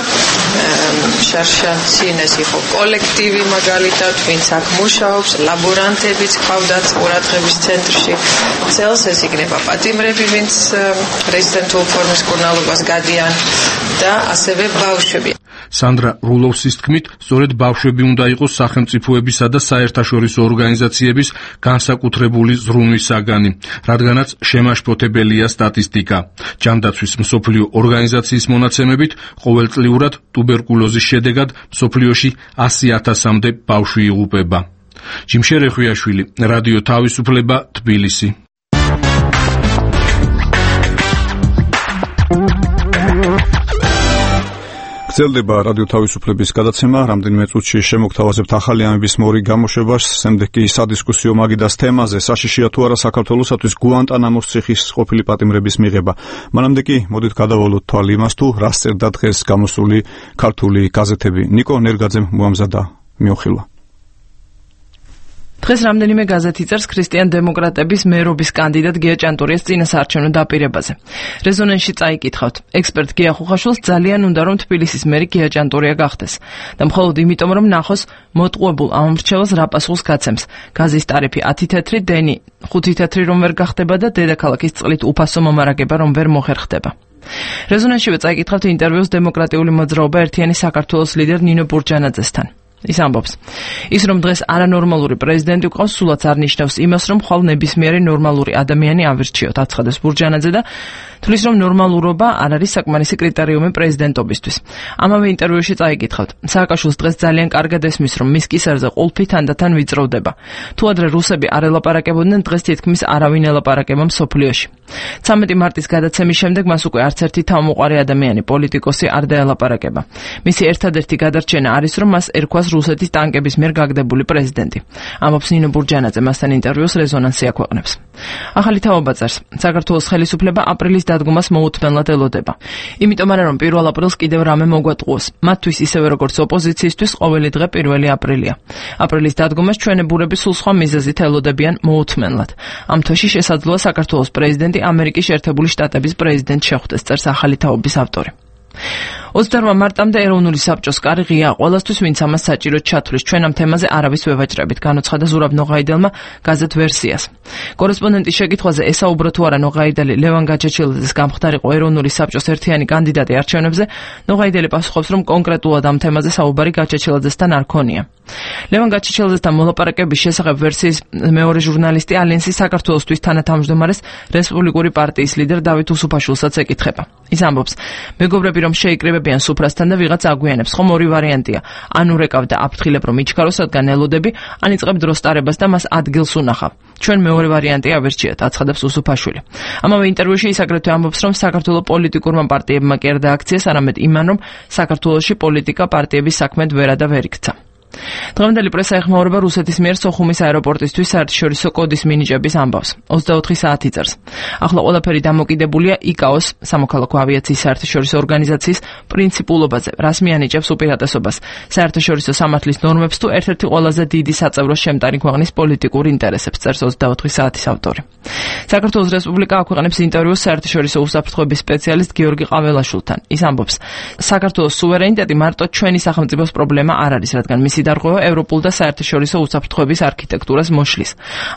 შარშანცინეს იყო კოლექტივი მაგალითად, ვინც აქ მუშაობს, ლაბორანტებიც ყავდათ ყურადღების ცენტრში. წელს ეს იქნება პატიმრები, ვინც რეზისტენტულ ფორმის მკურნალობას გადიან და ასევე ბავშვები. სანდრა რულოვსის თქმით, სწორედ ბავშვები უნდა იყოს სახელმწიფოებისა და საერთაშორისო ორგანიზაციების განსაკუთრებული ზრუნვის საგანი, რადგანაც შემაშფოთებელია სტატისტიკა. ჯანდაცვის მსოფლიო ორგანიზაციის მონაცემებით, ყოველწლიურად ტუბერკულოზის შედეგად მსოფლიოში ასი ათასამდე ბავშვი იღუპება. ჯიმშე რეხვიაშვილი, რადიო თავისუფლება, თბილისი. გრძელდება რადიო თავისუფლების გადაცემა, რამდენიმე წუთში შემოგთავაზებთ ახალი ამების მორი გამოშვებას, შემდეგ კი სადისკუსიო მაგიდას თემაზე, საშიშია თუ არა საქართველოსათვის გუანტანამოს ციხის ყოფილი პატიმრების მიღება. მანამდე კი მოდით გადავალოთ თვალი იმას, თუ რას წერდა დღეს გამოსული ქართული გაზეთები. ნიკო ნერგაძემ მოამზადა მიოხილვა. დღეს რამდენიმე გაზეთი წერს ქრისტიან დემოკრატების მერობის კანდიდატ გია ჭანტურიას წინასაარჩევნო დაპირებაზე. რეზონანსში წაიკითხავთ, ექსპერტ გია ხუხაშვილს ძალიან უნდა რომ თბილისის მერი გია ჭანტურია გახდეს და მხოლოდ იმიტომ რომ ნახოს მოტყუებულ ამომრჩეველს რა პასუხს გაცემს. გაზის ტარიფი ათი თეთრი, დენი ხუთი თეთრი რომ ვერ გახდება და დედაქალაქის წყლით უფასო მომარაგება რომ ვერ მოხერხდება. რეზონანსშივე წაიკითხავთ ინტერვიუს დემოკრატიული მოძრაობა ერთიანი საქართველოს ლიდერ ნინო ბურჯანაძესთან. ის ამბობს, ის რომ დღეს არანორმალური პრეზიდენტი ყავს, სულაც არ ნიშნავს იმას, რომ ხვალ ნებისმიერი ნორმალური ადამიანი ავირჩიოთ, აცხადებს ბურჯანაძე და თulis რომ ნორმალურობა არ არის საკმარისი კრიტერიუმი პრეზიდენტობისთვის. ამავე ინტერვიუში წაიკითხავთ, სააკაშვილს დღეს ძალიან კარგად ესმის, რომ მის კისერზე ყულფი თანდათან ვიწროვდება. თუ ადრე რუსები არ ელაპარაკებოდნენ, დღეს თითქმის არავინ ელაპარაკება მსოფლიოში. ცამეტი მარტის გადაცემის შემდეგ მას უკვე არც ერთი თავმოყარი ადამიანი, პოლიტიკოსი არ დაელაპარაკება. მისი ერთადერთი გადარჩენა არის, რომ მას ერქვას რუსეთის ტანკების მიერ გაგდებული პრეზიდენტი. ამბობს ნინო ბურჯანაძე მასთან ინტერვიუს რეზონანსი აქვეყნებს. ახალი თაობა წერს, საქართველოს ხელისუფლება აპრილის დადგომას მოუთმენლად ელოდება. იმიტომ არა რომ პირველ აპრილს კიდევ რამე მოგვატყუოს. მათთვის ისევე როგორც ოპოზიციისთვის ყოველი დღე პირველი აპრილია. აპრილის დადგომას ჩვენებურები სულ სხვა მიზეზით ელოდებიან მოუთმენლად. ამ თვეში შესაძლოა საქართველოს პრეზიდენტი ამერიკის შეერთებული შტატების პრეზიდენტ შეხვდეს, წერს ახალი თაობის ავტორი. ოცდაოთხ მარტამდე ეროვნული საბჭოს კარი ღიაა ყველასთვის, ვინც ამას საჭიროდ ჩათვლის. ჩვენ ამ თემაზე არავის ვევაჭრებით, განუცხადა ზურაბ ნოღაიდელმა გაზეთ ვერსიას. კორესპონდენტის შეკითხვაზე ესაუბრო თუ არა ნოღაიდელი ლევან გაჩეჩილაძის გამხდარიყო ეროვნული საბჭოს ერთიანი კანდიდატი არჩევნებზე, ნოღაიდელი პასუხობს, რომ კონკრეტულად ამ თემაზე საუბარი გაჩეჩილაძესთან არ ქონია. ლევან გაჩეჩილაძესთან მოლაპარაკების შესახებ ვერსიის მეორე ჟურნალისტი ალიანსის საქართველოსთვის თანათავმჯდომარეს რესპუბლიკური პარტიის ლიდერ დავით უსუფაშვილსაც ეკითხება. ის ამბობს, მეგობრები რომ შეიკრიბებიან სუფრასთან და ვიღაც აგვიანებს, ხომ ორი ვარიანტია. ან ურეკავ და აფრთხილებ რომ იჩქაროს, რადგან ელოდები, ან იწყებ დროს ტარებას და მას ადგილს უნახავ. ჩვენ მეორე ვარიანტი ავერჩიათ, აცხადებს უსუფაშვილი. ამავე ინტერვიუში ის აგრეთვე ამბობს, რომ საქართველოს პოლიტიკურმა პარტიებმა კერდა აქციას, არამედ იმან, რომ საქართველოში პოლიტიკა პარტიების საქმედ ვერა და ვერ იქცა. დღევანდელი პრესა ეხმაურება რუსეთის მიერ სოხუმის აეროპორტისთვის საერთაშორისო კოდის მინიჭების ამბავს. ოცდაოთხი საათი წერს. ახლა ყველაფერი დამოკიდებულია იკაოს, სამოქალაქო ავიაციის საერთაშორისო ორგანიზაციის პრინციპულობაზე, რას მიანიჭებს უპირატესობას, საერთაშორისო სამართლის ნორმებს თუ ერთ-ერთი ყველაზე დიდი საწევრო შემტარი ქვეყნის პოლიტიკურ ინტერესებს, წერს ოცდაოთხი საათის ავტორი. საქართველოს რესპუბლიკა აქვეყნებს ინტერვიუს საერთაშორისო უსაფრთხოების სპეციალისტ გიორგი ყაველაშვილთან. ის ამბობს, საქართველოს სუვერენიტეტი მარტო ჩვენი სახელმწიფოს პრობლემა არ არის, რადგან მისი დარღვევა ევროპულ და საერთაშორისო უსაფრთხოების არქიტექტურას მოშლის.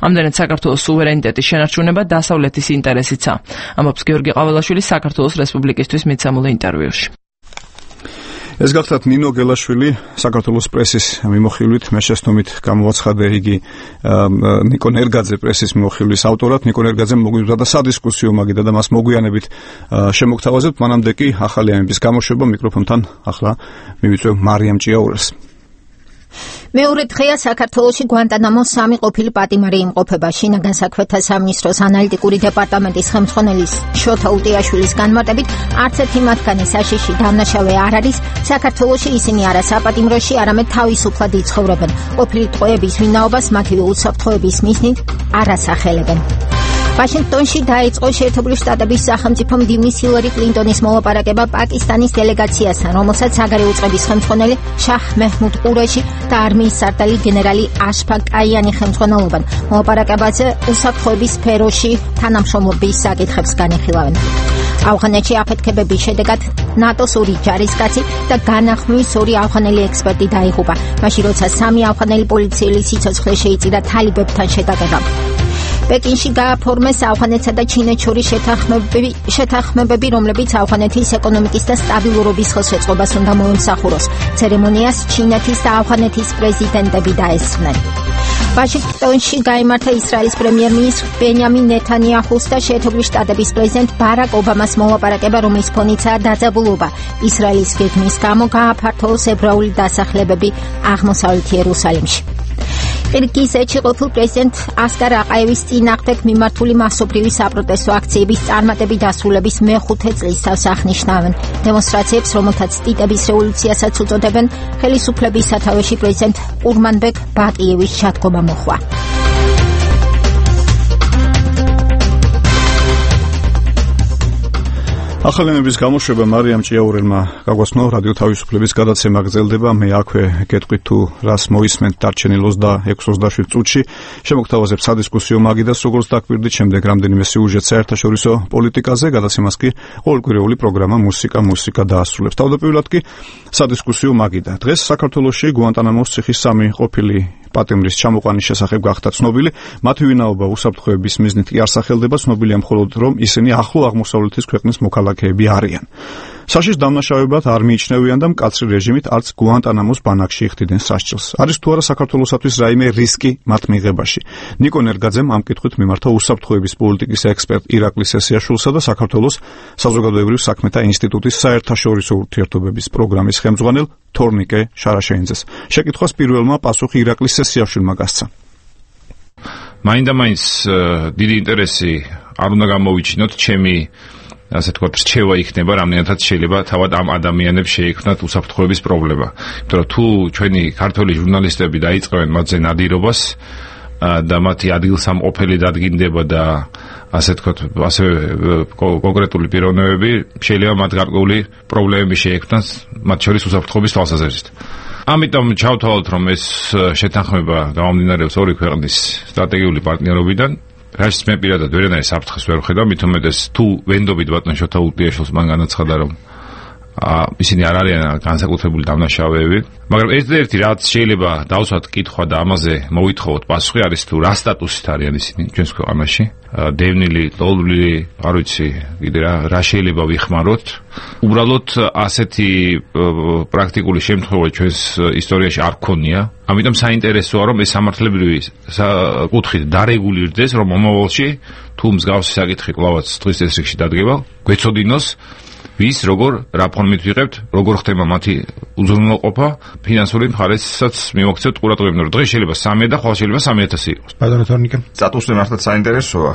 ამდენად საქართველოს სუვერენიტეტის შენარჩუნება დასავლეთის ინტერესიცაა, ამბობს გიორგი ყაველაშვილი საქართველოს რესპუბლიკისთვის მიცემულ ინტერვიუში. ეს გახლავთ ნინო გელაშვილი, საქართველოს პრესის მიმოხილვით, მე შეცდომით გამოვაცხადე იგი ნიკო ნერგაძე პრესის მიმოხილვის ავტორად. ნიკო ნერგაძემ მოგვიწვია და სადისკუსიო მაგიდა და მას მოგვიანებით შემოგთავაზებთ. მანამდე კი ახალი ამების გამოშვება მიკროფონთან ახლა მივიწვევ მარიამ ჭიაურელს. მეორე დღეა საქართველოში გვანტანამოს სამი ყოფილი პატიმარი იმყოფება. შინაგან საქმეთა სამინისტროს ანალიტიკური დეპარტამენტის ხელმძღვანელის შოთა უტიაშვილის განმარტებით, არც ერთი მათგანი საშიში დამნაშავე არ არის. საქართველოში ისინი არა საპატიმროში, არამედ თავისუფლად იცხოვრებენ. ყოფილი ტყვეების ვინაობას მათივე უსაფრთხოების მიზნით არ ასახელებენ. ვაშინგტონში დაიწყო შეერთებული შტატების სახელმწიფო მდივნის ჰილარი კლინტონის მოლაპარაკება პაკისტანის დელეგაციასთან, რომელსაც საგარეო უწყების ხელმძღვანელი შაჰ მეჰმუდ ყურეში და არმიის სარდალი გენერალი აშფაკ კაიანი ხელმძღვანელობენ. მოლაპარაკებაზე უსაფრთხოების სფეროში თანამშრომლობის საკითხებს განიხილავენ. ავღანეთში აფეთქებების შედეგად ნატოს ორი ჯარისკაცი და განახმვის ორი ავღანელი ექსპერტი დაიღუპა, მაშინ როცა სამი ავღანელი პოლიციელი სიცოცხლე შეიწირა თალიბებთან შეტაკება. პეკინში გააფორმეს ავღანეთსა და ჩინეთს შორის შეთანხმებები, შეთანხმებები, რომლებიც ავღანეთის ეკონომიკის და სტაბილურობის ხელშეწყობას უნდა მოემსახუროს. ცერემონიას ჩინეთის და ავღანეთის პრეზიდენტები დაესწრნენ. ვაშინგტონში გაიმართა ისრაელის პრემიერ-მინისტრ ბენიამინ ნეთანიაჰუს და შეერთებული შტატების პრეზიდენტ ბარაკ ობამას მოლაპარაკება, რომლის ფონიცაა დაძაბულობა. ისრაელის გეგმის გამო გააფართოვეს ებრაული დასახლებები აღმოსავლეთ იერუსალიმში. ყირგიზეთში ყოფილ პრეზიდენტ ასკარ აყაევის წინააღმდეგ მიმართული მასობრივი საპროტესტო აქციების წარმატებით დასრულების მეხუთე წლისთავს აღნიშნავენ. დემონსტრაციებს, რომელთაც ტიტების რევოლუციასაც უწოდებენ, ხელისუფლების სათავეში პრეზიდენტ ყურმანბეკ ბაკიევის ჩადგომა მოჰყვა. ახალი ამების გამოშვება მარიამ ჭიაურელმა გაგვაცნო, რადიო თავისუფლების გადაცემა გრძელდება. მე აქვე გეტყვით თუ რას მოისმენთ დარჩენილ ოცდაექვსი ოცდაშვიდ წუთში. შემოგთავაზებ სადისკუსიო მაგიდას, როგორც დაკვირდით, შემდეგ რამდენიმე სიუჟეტ საერთაშორისო პოლიტიკაზე, გადაცემას კი ყოველკვირეული პროგრამა მუსიკა მუსიკა დაასრულებს. თავდაპირველად კი სადისკუსიო მაგიდა. დღეს საქართველოში გვანტანამოს ციხის სამი ყოფილი პატიმრის ჩამოყვანის შესახებ გახდა ცნობილი. მათი ვინაობა უსაფრთხოების მიზნით კი არ სახელდება, ცნობილია მხოლოდ რომ ისინი ახლო აღმოსავლეთის ქვეყნის მოქალაქეები არიან. საშიშ დამნაშავებად არ მიიჩნევიან და მკაცრი რეჟიმით არც გვანტანამოს ბანაკში იხდიდნენ სასჯელს. არის თუ არა საქართველოსათვის რაიმე რისკი მათ მიღებაში? ნიკო ნერგაძემ ამ კითხვით მიმართა უსაფრთხოების პოლიტიკის ექსპერტ ირაკლი სესიაშვილსა და საქართველოს საზოგადოებრივ საქმეთა ინსტიტუტის საერთაშორისო ურთიერთობების პროგრამის ხელმძღვანელ თორნიკე შარაშენძეს. შეკითხვას პირველმა პასუხი ირაკლი სესიაშვილმა გასცა. მაინდა-მაინც დიდი ინტერესი არ უნდა გამოვიჩინოთ, ჩემი ასე თქვა რჩევა იქნება, რამდენადაც შეიძლება თავად ამ ადამიანებს შეექმნათ უსაფრთხოების პრობლემა. იმიტომ რომ თუ ჩვენი ქართველი ჟურნალისტები დაიწყებენ მათზე ნადირობას და მათი ადგილსამყოფელი დადგინდება და ასე თქვათ, ასევე კონკრეტული პიროვნებები შეიძლება მათ გარკვეული პრობლემები შეექმნას, მათ შორის უსაფრთხოების თვალსაზრისით. ამიტომ ჩავთვალოთ, რომ ეს შეთანხმება გამომდინარეობს ორი ქვეყნის სტრატეგიული პარტნიორობიდან. რასაც მე პირადად ვერანაირ საფრთხეს ვერ ვხედავ, მით უმეტეს თუ ვენდობით ბატონ შოთა უტიაშვილს მან განაცხადა, რომ ისინი არ არიან განსაკუთრებული დამნაშავეები, მაგრამ ერთ-ერთი რაც შეიძლება დავსვათ კითხვა და ამაზე მოვითხოვოთ პასუხი არის თუ რა სტატუსით არიან ისინი ჩვენს ქვეყანაში, დევნილი, ტოლული, არ ვიცი, კიდე რა რა შეიძლება ვიხმაროთ. უბრალოდ ასეთი პრაქტიკული შემთხვევა ჩვენს ისტორიაში არ ქონია, ამიტომ საინტერესოა რომ ეს სამართლებრივი კუთხით დარეგულირდეს, რომ მომავალში თუ მსგავსი საკითხი კვლავაც დღის წესრიგში დადგება, გვეცოდინოს ვის როგორ რა ფორმით ვიღებთ, როგორ ხდება მათი უზრუნველყოფა, ფინანსური მხარესაც მივაქცევთ ყურადღება, რომ დღეს შეიძლება სამი და ხვალ შეიძლება სამი ათასი იყოს. ბატონო თორნიკე, სტატუსი მართლაც საინტერესოა.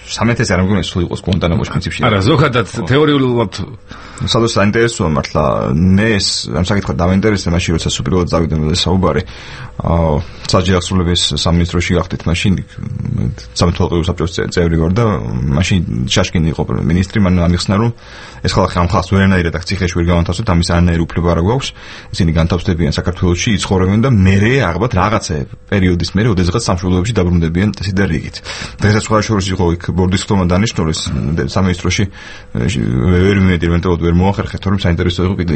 სამი ათასი არ მგონია სულ იყოს გუანტანამოს პრინციპში. არა, ზოგადად თეორიულად სადაც საინტერესოა მართლა მე ეს ამ საკითხად დავინტერესდა მაშინ როცა უპირველად წავიდა მე საუბარი. აა საჯარო აღსრულების სამინისტროში გახდით მაშინ სამართლებრივი საბჭოს წევრი ვარ და მაშინ შაშკინი იყო მინისტრი, მან ამიხსნა რომ ეს ხალხი ამ ხალხს ვერანაირად აქ ციხეში ვერ გავანთავსოთ, ამის არანაირი უფლება არ გვაქვს. ისინი განთავსდებიან საქართველოში, იცხოვრებენ და მერე აღბათ რაღაცა პერიოდის მერე ოდესღაც სამშობლოებში დაბრუნდებიან წესი და რიგით. დღესაც ხარშორის იყო იქ ბორდის ხტომა დანიშნული სამინისტროში ვერ ვიმედი ელემენტარულად ვერ მოახერხეთ, რომ საინტერესო იყო კიდე.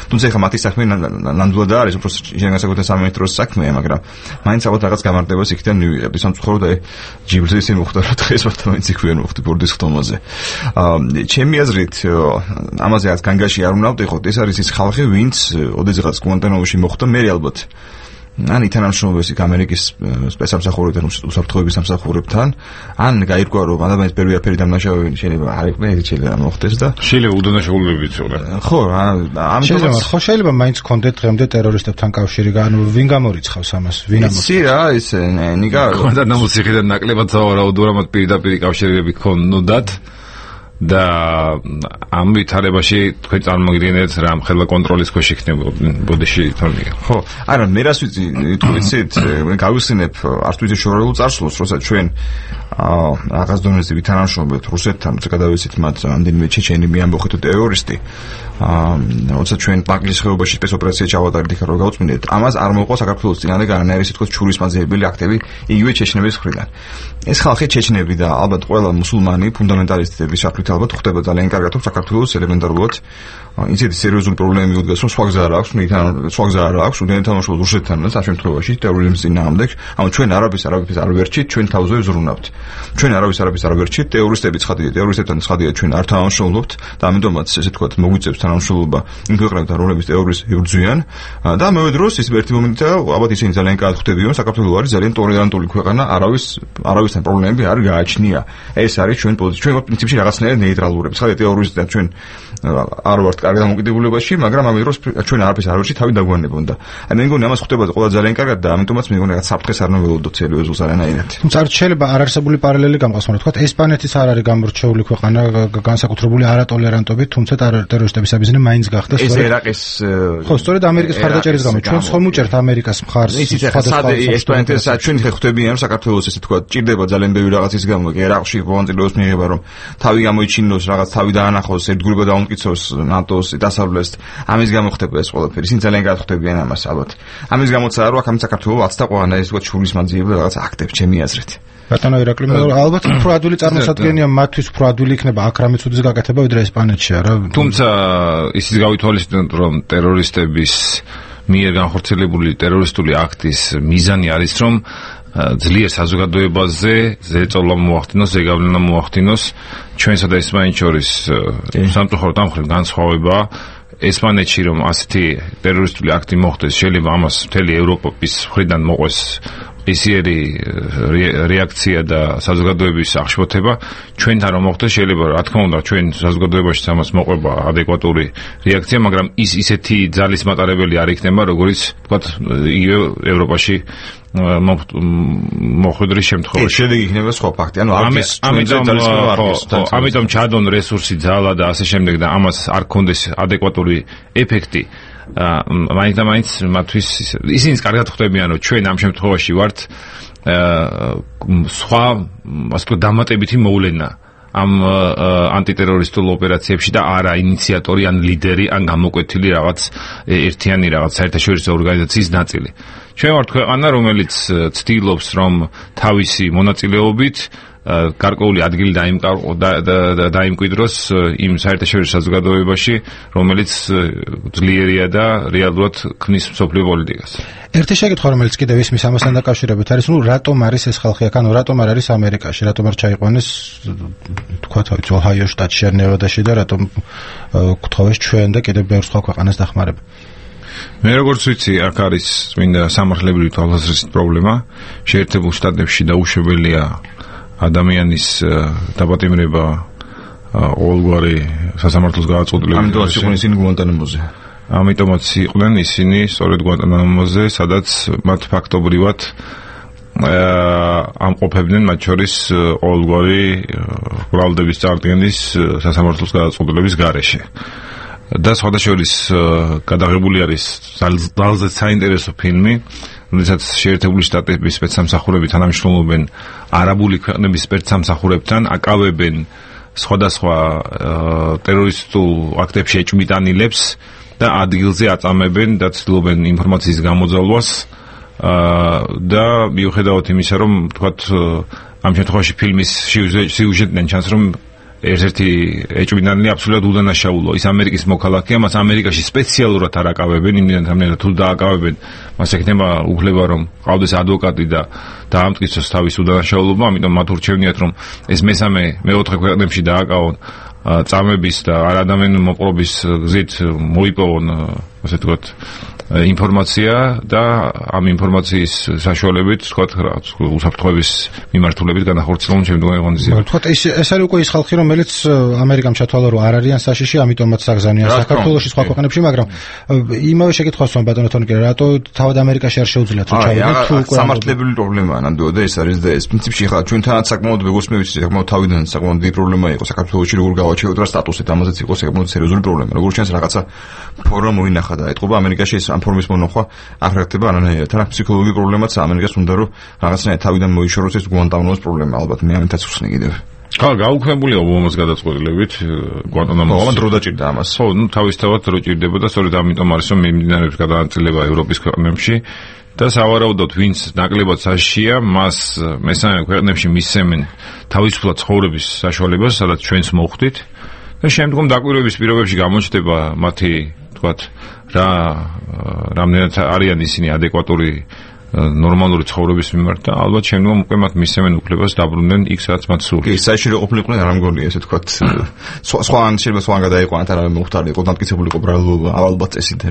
თუმცა ეხლა მათი საქმე ნამდვილად არის, უფრო შეგანსაკუთრებულ სამინისტროს საქმეა, მაგრამ მაინც ალბათ რაღაც გამარტებას იქიდან მივიღებდი. სამწუხაროდ აი ჯიბლზე ისე მოხდა, რომ დღეს ვართ იქ ვერ მოხდი ბორდის ხტომაზე. აა ჩემი აზრით ამაზე რაც განგაში არ უნდა ვიყოთ, ეს არის ის ხალხი, ვინც ოდესღაც გუანტანამოში მოხვდა, მე ალბათ ან ითანამშრომლობს იქ ამერიკის სპეცსამსახურებთან, უსაფრთხოების სამსახურებთან, ან გაირკვა რომ ადამიანის პირველი აფერი დამნაშავე შეიძლება არ იყვნენ, ეს შეიძლება მოხდეს და შეიძლება უდანაშაულები იცოდნენ. ხო, ამიტომ შეიძლება ხო შეიძლება მაინც კონდეთ დღემდე ტერორისტებთან კავშირი, ანუ ვინ გამორიცხავს ამას, ვინ ამას. იცი რა, ის ნიკა გუანტანამოს ციხიდან ნაკლებად სავარაუდოა, რომ პირდაპირ კავშირები ქონოდათ. და ამ ვითარებაში თქვენ წარმოგიდგენთ რა მხელა კონტროლის ქვეშ იქნებოდნენ ბოდიში თორნიკე. ხო, არა მე რას ვიცი, თქვით, მე გავიხსენებ არც ვიცი შორეულ წარსულს, როცა ჩვენ აა რაღაც დონეზე ვითანამშრომლობთ რუსეთთან, როცა გადავიცით მათ ამდენიმე ჩეჩენი მიამბოხეთ ტერორისტი. აა როცა ჩვენ პაკლის ხეობაში სპეცოპერაცია ჩავატარეთ იქ რომ გავწმინდეთ, ამას არ მოყვა საქართველოს წინანდ განანაირი სიტყვის ჩურის მაძიებელი აქტები იგივე ჩეჩნების მხრიდან. ეს ხალხი ჩეჩნები და ალბათ ყველა მუსულმანი ფუნდამენტალისტების საფრთხით ალბათ ხდება ძალიან კარგად, რომ საქართველოს ელემენტარულად ისეთი სერიოზული პრობლემები უდგას, რომ სხვა გზა არ აქვს, ნითან სხვა გზა არ აქვს, უდენ თამაშობს რუსეთთან და ამ შემთხვევაში ტერორიზმის წინააღმდეგ. ანუ ჩვენ არაბის არაბის არ ვერჩით, ჩვენ თავზე ვზრუნავთ. ჩვენ არაბის არაბის არ ვერჩით, ტერორისტები ცხადია, ტერორისტებთან ცხადია ჩვენ არ თანამშრომლობთ და ამიტომაც ესე თქვათ მოგვიწევს თანამშრომლობა იმ ქვეყნებთან, რომლებიც ტერორიზმს იბრძვიან და ამავე დროს ის ერთი მომენტია, ალბათ ისინი ძალიან კარგად ხვდებიან, საქართველო არის ძალიან ტოლერანტული ქვეყანა, არავის არავისთან პრობლემები არ გააჩნია. ეს არის ჩვენ პოზიცია, ჩვენ პრინციპში რაღაცნაირად ნეიტრალურები. ცხადია ტერორისტთან ჩვენ არ ვართ კარგ დამოკიდებულებაში, მაგრამ ამ დროს ჩვენ არაფერს არ ვერჩით, თავი დაგვანებონ და აი მე მგონი ამას ხვდება ყველა ძალიან კარგად და ამიტომაც მე მგონი რაღაც საფრთხეს არ ნაველოდოთ სერიოზულს არანაირად. თუმცა არ შეიძლება არ არსებული პარალელი გამყავს, მაგრამ თქვა ესპანეთის არ არის გამორჩეული ქვეყანა განსაკუთრებული არატოლერანტობით, თუმცა ტერორისტების საბიზნე მაინც გახდა სწორედ ეს ერაყის ხო, სწორედ ამერიკის მხარდაჭერის გამო ჩვენ ხომ უჭერთ ამერიკას მხარს სხვადასხვა ესპანეთის ჩვენ ხვდებიან საქართველოს ესე თქვა ჭირდება ძალიან ბევრი რაღაცის გამო ერაყში მონაწილეობის მიიღება რომ თავი გამოიჩინოს რაღაც თავი დაანახოს ერთგულება დაუმტკიცოს ნატოს დასავლეთს ამის გამო ხდება ეს ყველაფერი ისინი ძალიან კარგად ხვდებიან ამას ალბათ ამის გამოც არა აქ ამ საქართველოს აცდა ყანა ეს თქვა ჩურის მაძიებელი რაღაც აქტებს ჩემი აზრით ბატონო ირაკლი ალბათ უფრო ადვილი წარმოსადგენია მათთვის უფრო ადვილი იქნება აქ რამე ცუდის გაკეთება ვიდრე ესპანეთში არა თუმცა ისიც გავითვალისწინოთ რომ ტერორისტების მიერ განხორციელებული ტერორისტული აქტის მიზანი არის რომ ძლიერ საზოგადოებაზე ზეწოლა მოახდინოს, ზეგავლენა მოახდინოს ჩვენსა და ესპანეთს შორის სამწუხაროდ ამ მხრივ განსხვავება ესპანეთში რომ ასეთი ტერორისტული აქტი მოხდეს შეიძლება ამას მთელი ევროპის მხრიდან მოყვეს ისიერი რეაქცია და საზოგადოების აღშფოთება ჩვენთან რომ მოხდეს შეიძლება რა თქმა უნდა ჩვენ საზოგადოებაში ამას მოყვება ადეკვატური რეაქცია მაგრამ ის ისეთი ძალის მატარებელი არ იქნება როგორც ვთქვათ იგივე ევროპაში მოხვედრის შემთხვევაში შედეგი იქნება სხვა ფაქტი ანუ არის ამიტომ ამიტომ ჩადონ რესურსი ძალა და ასე შემდეგ და ამას არ ქონდეს ადეკვატური ეფექტი მაინც და მაინც მათთვის ისინიც კარგად ხვდებიან რომ ჩვენ ამ შემთხვევაში ვართ სხვა ასე ვთქვათ დამატებითი მოვლენა ამ ანტიტერორისტულ ოპერაციებში და არა ინიციატორი ან ლიდერი ან გამოკვეთილი რაღაც ერთიანი რაღაც საერთაშორისო ორგანიზაციის ნაწილი. ჩვენ ვართ ქვეყანა, რომელიც ცდილობს, რომ თავისი მონაწილეობით გარკვეული ადგილი დაიმკვიდროს იმ საერთაშორისო საზოგადოებაში, რომელიც ძლიერია და რეალურად ქმნის მსოფლიო პოლიტიკას. ერთი შეკითხვა, რომელიც კიდევ ისმის ამასთან დაკავშირებით არის, ну, რატომ არის ეს ხალხი აქ, ანუ რატომ არ არის ამერიკაში, რატომ არ ჩაიყვანეს, თქვა თავის ოჰაიო შტატში ან ნევადაში და რატომ გთხოვეს ჩვენ და კიდევ ბევრ სხვა ქვეყანას დახმარება. მე როგორც ვიცი, აქ არის წმინდა სამართლებრივი თვალსაზრისით პრობლემა, შეერთებულ შტატებში დაუშვებელია ადამიანის დაპატიმრება ყოველგვარი სასამართლოს გადაწყვეტილებით. ამიტომაც იყვნენ ისინი გუანტანამოზე. ამიტომაც იყვნენ ისინი სწორედ გუანტანამოზე, სადაც მათ ფაქტობრივად ამყოფებდნენ მათ შორის ყოველგვარი ბრალდების წარდგენის სასამართლოს გადაწყვეტილების გარეშე. და სხვადასხვის გადაღებული არის ძალზედ საინტერესო ფილმი, როდესაც შეერთებული შტატების სპეცსამსახურები თანამშრომლობენ არაბული ქვეყნების სპეცსამსახურებთან, აკავებენ სხვადასხვა ტერორისტულ აქტებში ეჭვმიტანილებს და ადგილზე აწამებენ და ცდილობენ ინფორმაციის გამოძალვას და მიუხედავად იმისა, რომ თქვათ ამ შემთხვევაში ფილმის სიუჟეტიდან ჩანს, რომ ერთ-ერთი ეჭვმიტანილი აბსოლუტურად უდანაშაულო, ის ამერიკის მოქალაქეა, მას ამერიკაში სპეციალურად არ აკავებენ, იმდენად რამდენად თუ დააკავებენ, მას ექნება უფლება, რომ ყავდეს ადვოკატი და დაამტკიცოს თავის უდანაშაულობა, ამიტომ მათ ურჩევნიათ, რომ ეს მესამე, მეოთხე ქვეყნებში დააკავონ წამების და არადამენ მოპყრობის გზით მოიპოვონ, ასე ვთქვათ, ინფორმაცია და ამ ინფორმაციის საშუალებით, ვთქვათ, უსაფრთხოების მიმართულებით განახორციელონ შემდგომი ღონისძიებები. ვთქვათ, ეს ეს არის უკვე ის ხალხი, რომელიც ამერიკამ ჩათვალა, რომ არ არიან საშიში, ამიტომაც საგზავნიან საქართველოში, სხვა ქვეყნებში, მაგრამ იმავე შეკითხვას ვამ ბატონო თორნიკე, რატო თავად ამერიკაში არ შეუძლიათ თუ ჩავიდეთ თუ უკვე სამართლებრივი პრობლემაა ნამდვილად და ეს არის და ეს პრინციპში ხა ჩვენთანაც საკმაოდ როგორც მე ვიცი, საკმაოდ თავიდან საკმაოდ დიდი პრობლემა იყო საქართველოში, როგორ გავაჩეროთ რა სტატუსით, ამაზეც იყო საკმაოდ სერიოზული პრობლემა. როგორც ჩანს, რაღაცა ფორმა მოინახა და ეთყობა ამერიკაში ეს ფორმის მონახვა არ ხერხდება არანაირად. თან ფსიქოლოგიური პრობლემაც ამერიკას უნდა რომ რაღაცნაირად თავიდან მოიშოროს ეს გუანტანამოს პრობლემა, ალბათ მე ამითაც ვხსნი კიდევ. ხა გაუქმებულია ობამას გადაწყვეტილებით გუანტანამოს. ამან დრო დაჭირდა ამას. ხო, ну თავისთავად დრო ჭირდება და სწორედ ამიტომ არის რომ მიმდინარეობს გადაანაწილება ევროპის ქვეყნებში და სავარაუდოდ ვინც ნაკლებად საშიშია, მას მესამე ქვეყნებში მისცემენ თავისუფლად ცხოვრების საშუალებას, სადაც ჩვენს მოხვდით და შემდგომ დაკვირვების პირობებში გამოჩნდება მათი თქვათ რა რამდენად არიან ისინი ადეკვატური ნორმალური ცხოვრების მიმართ და ალბათ შემდგომ უკვე მათ მისცემენ უფლებას დაბრუნდნენ იქ სადაც მათ სურს. კი, საჭირო ყოფილიყვნენ არ ამგონია ესე თქვათ სხვა ან შეიძლება სხვა გადაიყვანათ არ არის მოხდარი იყო დამტკიცებული იყო ბრალობა ალბათ წესით.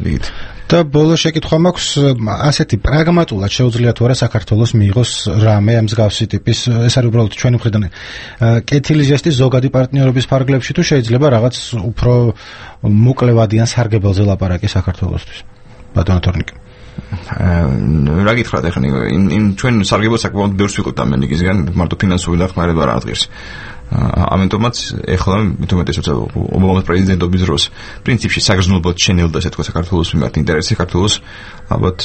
და ბოლო შეკითხვა მაქვს, ასეთი პრაგმატულად შეუძლია თუ არა საქართველოს მიიღოს რამე ამ მსგავსი ტიპის, ეს არის უბრალოდ ჩვენი მხრიდან კეთილი ჟესტი ზოგადი პარტნიორების ფარგლებში თუ შეიძლება რაღაც უფრო მოკლევადიან სარგებელზე ლაპარაკი საქართველოსთვის. ბატონო თორნიკე. რა გითხრათ ახლა იმ ჩვენ სარგებლობას საკმაოდ ბევრს ვიყოთ ამერიკისგან, მარტო ფინანსური დახმარება არ აღდგეს. ამიტომაც ეხლა მithumetesots ობამას პრეზიდენტობის დროს პრინციპში საგრძნობლად შენელდა ესე თქვა საქართველოს მიმართ ინტერესი, საქართველოს ალბათ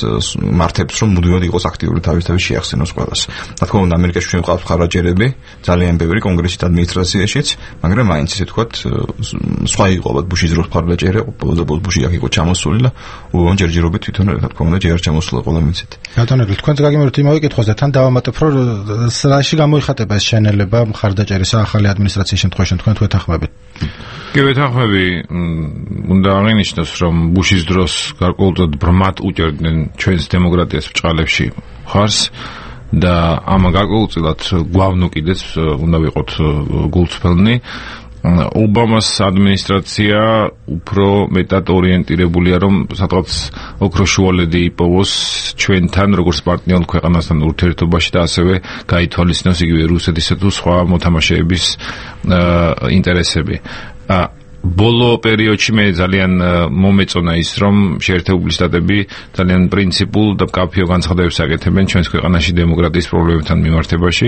მართებს რომ მუდმივად იყოს აქტიური თავისთავად შეახსენოს ყველას. რა თქმა უნდა ამერიკაში ჩვენ ყავს ხარაჯერები, ძალიან ბევრი კონგრესით ადმინისტრაციაშიც, მაგრამ მაინც ესე თქვა სხვა იყო ალბათ ბუშის დროს ხარაჯერე, ოპოზიციის ბუში აქ იყო ჩამოსული და უბამ ჯერჯერობით თვითონ რა თქმა უნდა ჯერ ჩამოსულა ყველა მიცეთ. ბატონო, თქვენ გაგიმეორებთ იმავე კითხვაზე, თან დავამატებ რომ სრაში გამოიხატება ეს შენელება ხარდაჭერის ახალი ადმინისტრაციის შემთხვევაში თქვენ თუ ეთანხმებით? კი, ვეთანხმები. უნდა აღინიშნოს, რომ ბუშის დროს გარკვეულწოდ ბრმად უჭერდნენ ჩვენს დემოკრატიას ბჭყალებში ხარს და ამ გარკვეულწილად გვავნო კიდეც უნდა ვიყოთ გულწრფელნი. ობამას ადმინისტრაცია უფრო მეტად ორიენტირებულია, რომ სადღაც ოქროს შუალედი იპოვოს ჩვენთან, როგორც პარტნიორ ქვეყანასთან ურთიერთობაში და ასევე გაითვალისწინოს იგივე რუსეთისა თუ სხვა მოთამაშეების ინტერესები. ბოლო პერიოდში მე ძალიან მომეწონა ის, რომ შეერთებული შტატები ძალიან პრინციპულ და მკაფიო განცხადებებს აკეთებენ ჩვენს ქვეყანაში დემოკრატიის პრობლემებთან მიმართებაში,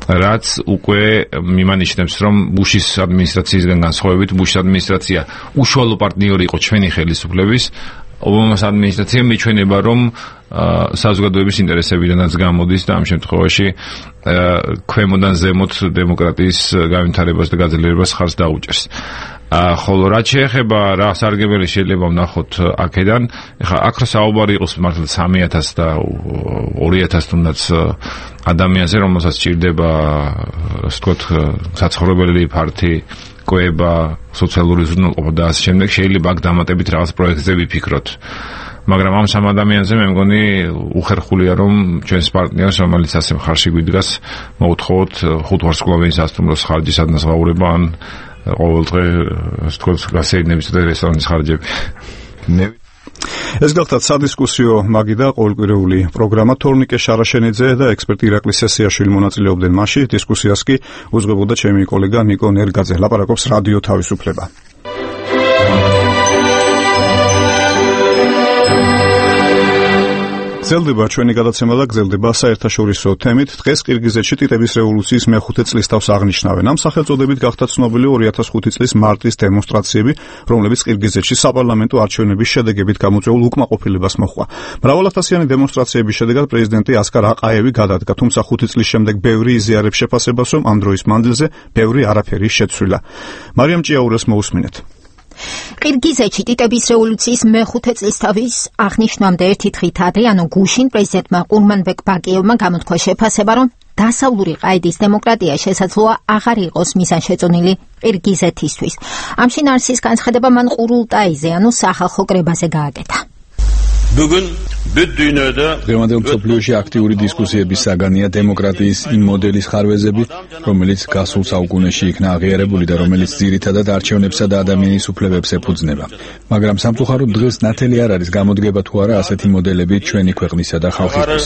რაც უკვე მიმანიშნებს, რომ ბუშის ადმინისტრაციისგან განსხვავებით, ბუშის ადმინისტრაცია უშუალო პარტნიორი იყო ჩვენი ხელისუფლების, ობამას ადმინისტრაციამ მიჩვენება, რომ საზოგადოების ინტერესებიდანაც გამოდის და ამ შემთხვევაში ქვემოდან ზემოთ დემოკრატიის განვითარებას და გაძლიერებას ხარს დაუჭერს. ხოლო რაც შეეხება რა სარგებელი შეიძლება ვნახოთ აქედან, ეხლა აქ რა საუბარი იყოს მართლა სამი ათას და ორი ათას თუნდაც ადამიანზე, რომელსაც სჭირდება, ასე ვთქვათ, საცხოვრებელი ფართი, კვება, სოციალური ზრუნველყოფა და ასე შემდეგ, შეიძლება აქ დამატებით რაღაც პროექტზე ვიფიქროთ. მაგრამ ამ სამ ადამიანზე მე მგონი უხერხულია, რომ ჩვენს პარტნიორს, რომელიც ასე მხარში გვიდგას, მოვთხოვოთ ხუთვარსკვლავიანი სასტუმროს ხარჯის ადნასაურება ან ყოველდღე ასე ვთქვათ, გასეირნების და რესტორანის ხარჯები. ეს გახლავთ სადისკუსიო მაგიდა ყოველკვირეული პროგრამა. თორნიკე შარაშენიძე და ექსპერტი ირაკლი სესიაშვილი მონაწილეობდნენ მასში. დისკუსიას კი უძღვებოდა ჩემი კოლეგა ნიკო ნერგაძე. ლაპარაკობს რადიო თავისუფლება. გრძელდება ჩვენი გადაცემა და გრძელდება საერთაშორისო თემით. დღეს ყირგიზეთში ტიტების რევოლუციის მეხუთე წლისთავს აღნიშნავენ. ამ სახელწოდებით გახდა ცნობილი ორი ათას ხუთი წლის მარტის დემონსტრაციები, რომლებიც ყირგიზეთში საპარლამენტო არჩევნების შედეგებით გამოწვეულ უკმაყოფილებას მოჰყვა. მრავალათასიანი დემონსტრაციების შედეგად პრეზიდენტი ასკარ აყაევი გადადგა, თუმცა ხუთი წლის შემდეგ ბევრი იზიარებს შეფასებას, რომ ამ დროის მანძილზე ბევრი არაფერი შეცვლილა. მარიამ ჭიაურელს მოусმინეთ. ყირგიზეთში ტიტების რევოლუციის მეხუთე წლისთავის აღნიშვნამდე ერთი დღით ადრე, ანუ გუშინ, პრეზიდენტმა ყურმანბეკ ბაკიევმა გამოთქვა შეფასება, რომ დასავლური ყაიდის დემოკრატია შესაძლოა აღარ იყოს მიზანშეწონილი ყირგიზეთისთვის. ამ შინაარსის განცხადება მან ყურულტაიზე, ანუ სახალხო კრებაზე გააკეთა. დღევანდელ მსოფლიოში აქტიური დისკუსიების საგანია დემოკრატიის იმ მოდელის ხარვეზები, რომელიც გასულ საუკუნეში იქნა აღიარებული და რომელიც ძირითადად არჩევნებსა და ადამიანის უფლებებს ეფუძნება. მაგრამ სამწუხაროდ დღეს ნათელი არ არის გამოდგება თუ არა ასეთი მოდელები ჩვენი ქვეყნისა და ხალხისთვის.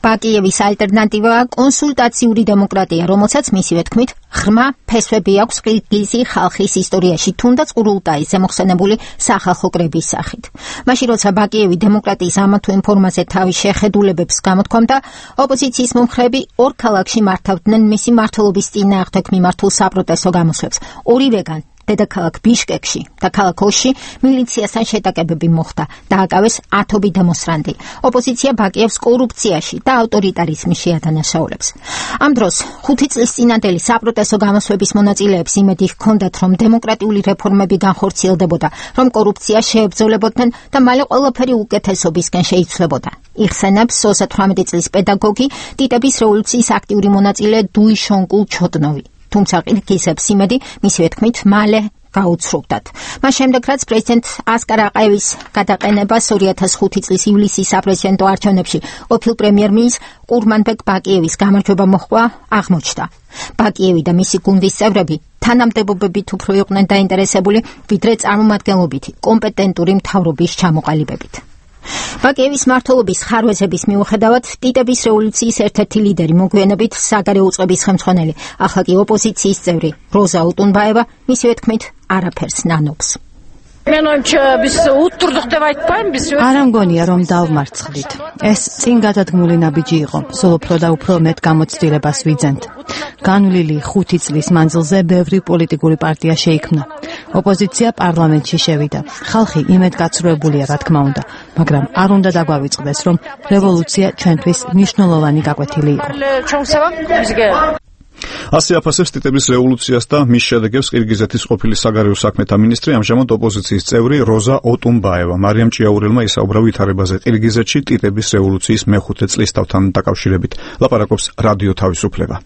ბაკიევის ალტერნატივაა კონსულტაციური დემოკრატია, რომელსაც მისივე თქმით ღრმა ფესვები აქვს ყირგიზი ხალხის ისტორიაში, თუნდაც ყურულტაიზე მოხსენებული სახალხო კრების სახით. მაშინ როცა ბაკიევი დემოკრატიის ამა თუ იმ ფორმაზე თავის შეხედულებებს გამოთქვამდა, ოპოზიციის მომხრეები ორ ქალაქში მართავდნენ მისი მმართველობის წინააღმდეგ მიმართულ საპროტესტო გამოსვლებს. ორივეგან დედაქალაქ ბიშკეკში და ქალაქ ოში მილიციასთან შეტაკებები მოხდა, დააკავეს ათობით დემონსტრანტი. ოპოზიცია ბაკიევს კორუფციაში და ავტორიტარიზმში შეადანაშაულებს. ამ დროს ხუთი წლის წინანდელი საპროტესტო გამოსვლების მონაწილეებს იმედი ჰქონდათ, რომ დემოკრატიული რეფორმები განხორციელდებოდა, რომ კორუფცია შეებრძოლებოდნენ და მალე ყველაფერი უკეთესობისკენ შეიცვლებოდა. იხსენებს ოცდაოთხმეტი წლის პედაგოგი, ტიტების რევოლუციის აქტიური მონაწილე დუიშონკულ ჩოდნოვი. თუმცა ყირგიზებს იმედი, მისივე თქმით, მალე გაუცრუვდათ. მას შემდეგ, რაც პრეზიდენტ ასკარ აყაევის გადაყენებას ორი ათას ხუთი წლის ივლისის საპრეზიდენტო არჩევნებში ყოფილ პრემიერ-მინისტრ ყურმანბეკ ბაკიევის გამარჯვება მოჰყვა, აღმოჩნდა. ბაკიევი და მისი გუნდის წევრები თანამდებობებით უფრო იყვნენ დაინტერესებული, ვიდრე წარმომადგენლობითი კომპეტენტური მთავრობის ჩამოყალიბებით. ბაკიევის მმართველობის ხარვეზების მიუხედავად, ტიტების რევოლუციის ერთ-ერთი ლიდერი, მოგვიანებით საგარეო უწყების ხელმძღვანელი, ახლა კი ოპოზიციის წევრი როზა ოტუნბაევა, მისივე თქმით, არაფერს ნანობს. არ ამგონია, რომ დავმარცხდით. ეს წინ გადადგმული ნაბიჯი იყო, სულ უფრო და უფრო მეტ გამოცდილებას ვიძენთ. განვლილი ხუთი წლის მანძილზე ბევრი პოლიტიკური პარტია შეიქმნა. ოპოზიცია პარლამენტში შევიდა. ხალხი იმედგაცრუებულია, რა თქმა უნდა, მაგრამ არ უნდა დაგვავიწყდეს, რომ რევოლუცია ჩვენთვის მნიშვნელოვანი გაკვეთილი იყო. ასე აფასებს ტიტების რევოლუციას და მის შედეგებს ყირგიზეთის ყოფილი საგარეო საქმეთა მინისტრი, ამჟამად ოპოზიციის წევრი როზა ოტუნბაევა. მარიამ ჭიაურელმა ისაუბრა ვითარებაზე ყირგიზეთში ტიტების რევოლუციის მეხუთე წლისთავთან დაკავშირებით. ლაპარაკობს რადიო თავისუფლება.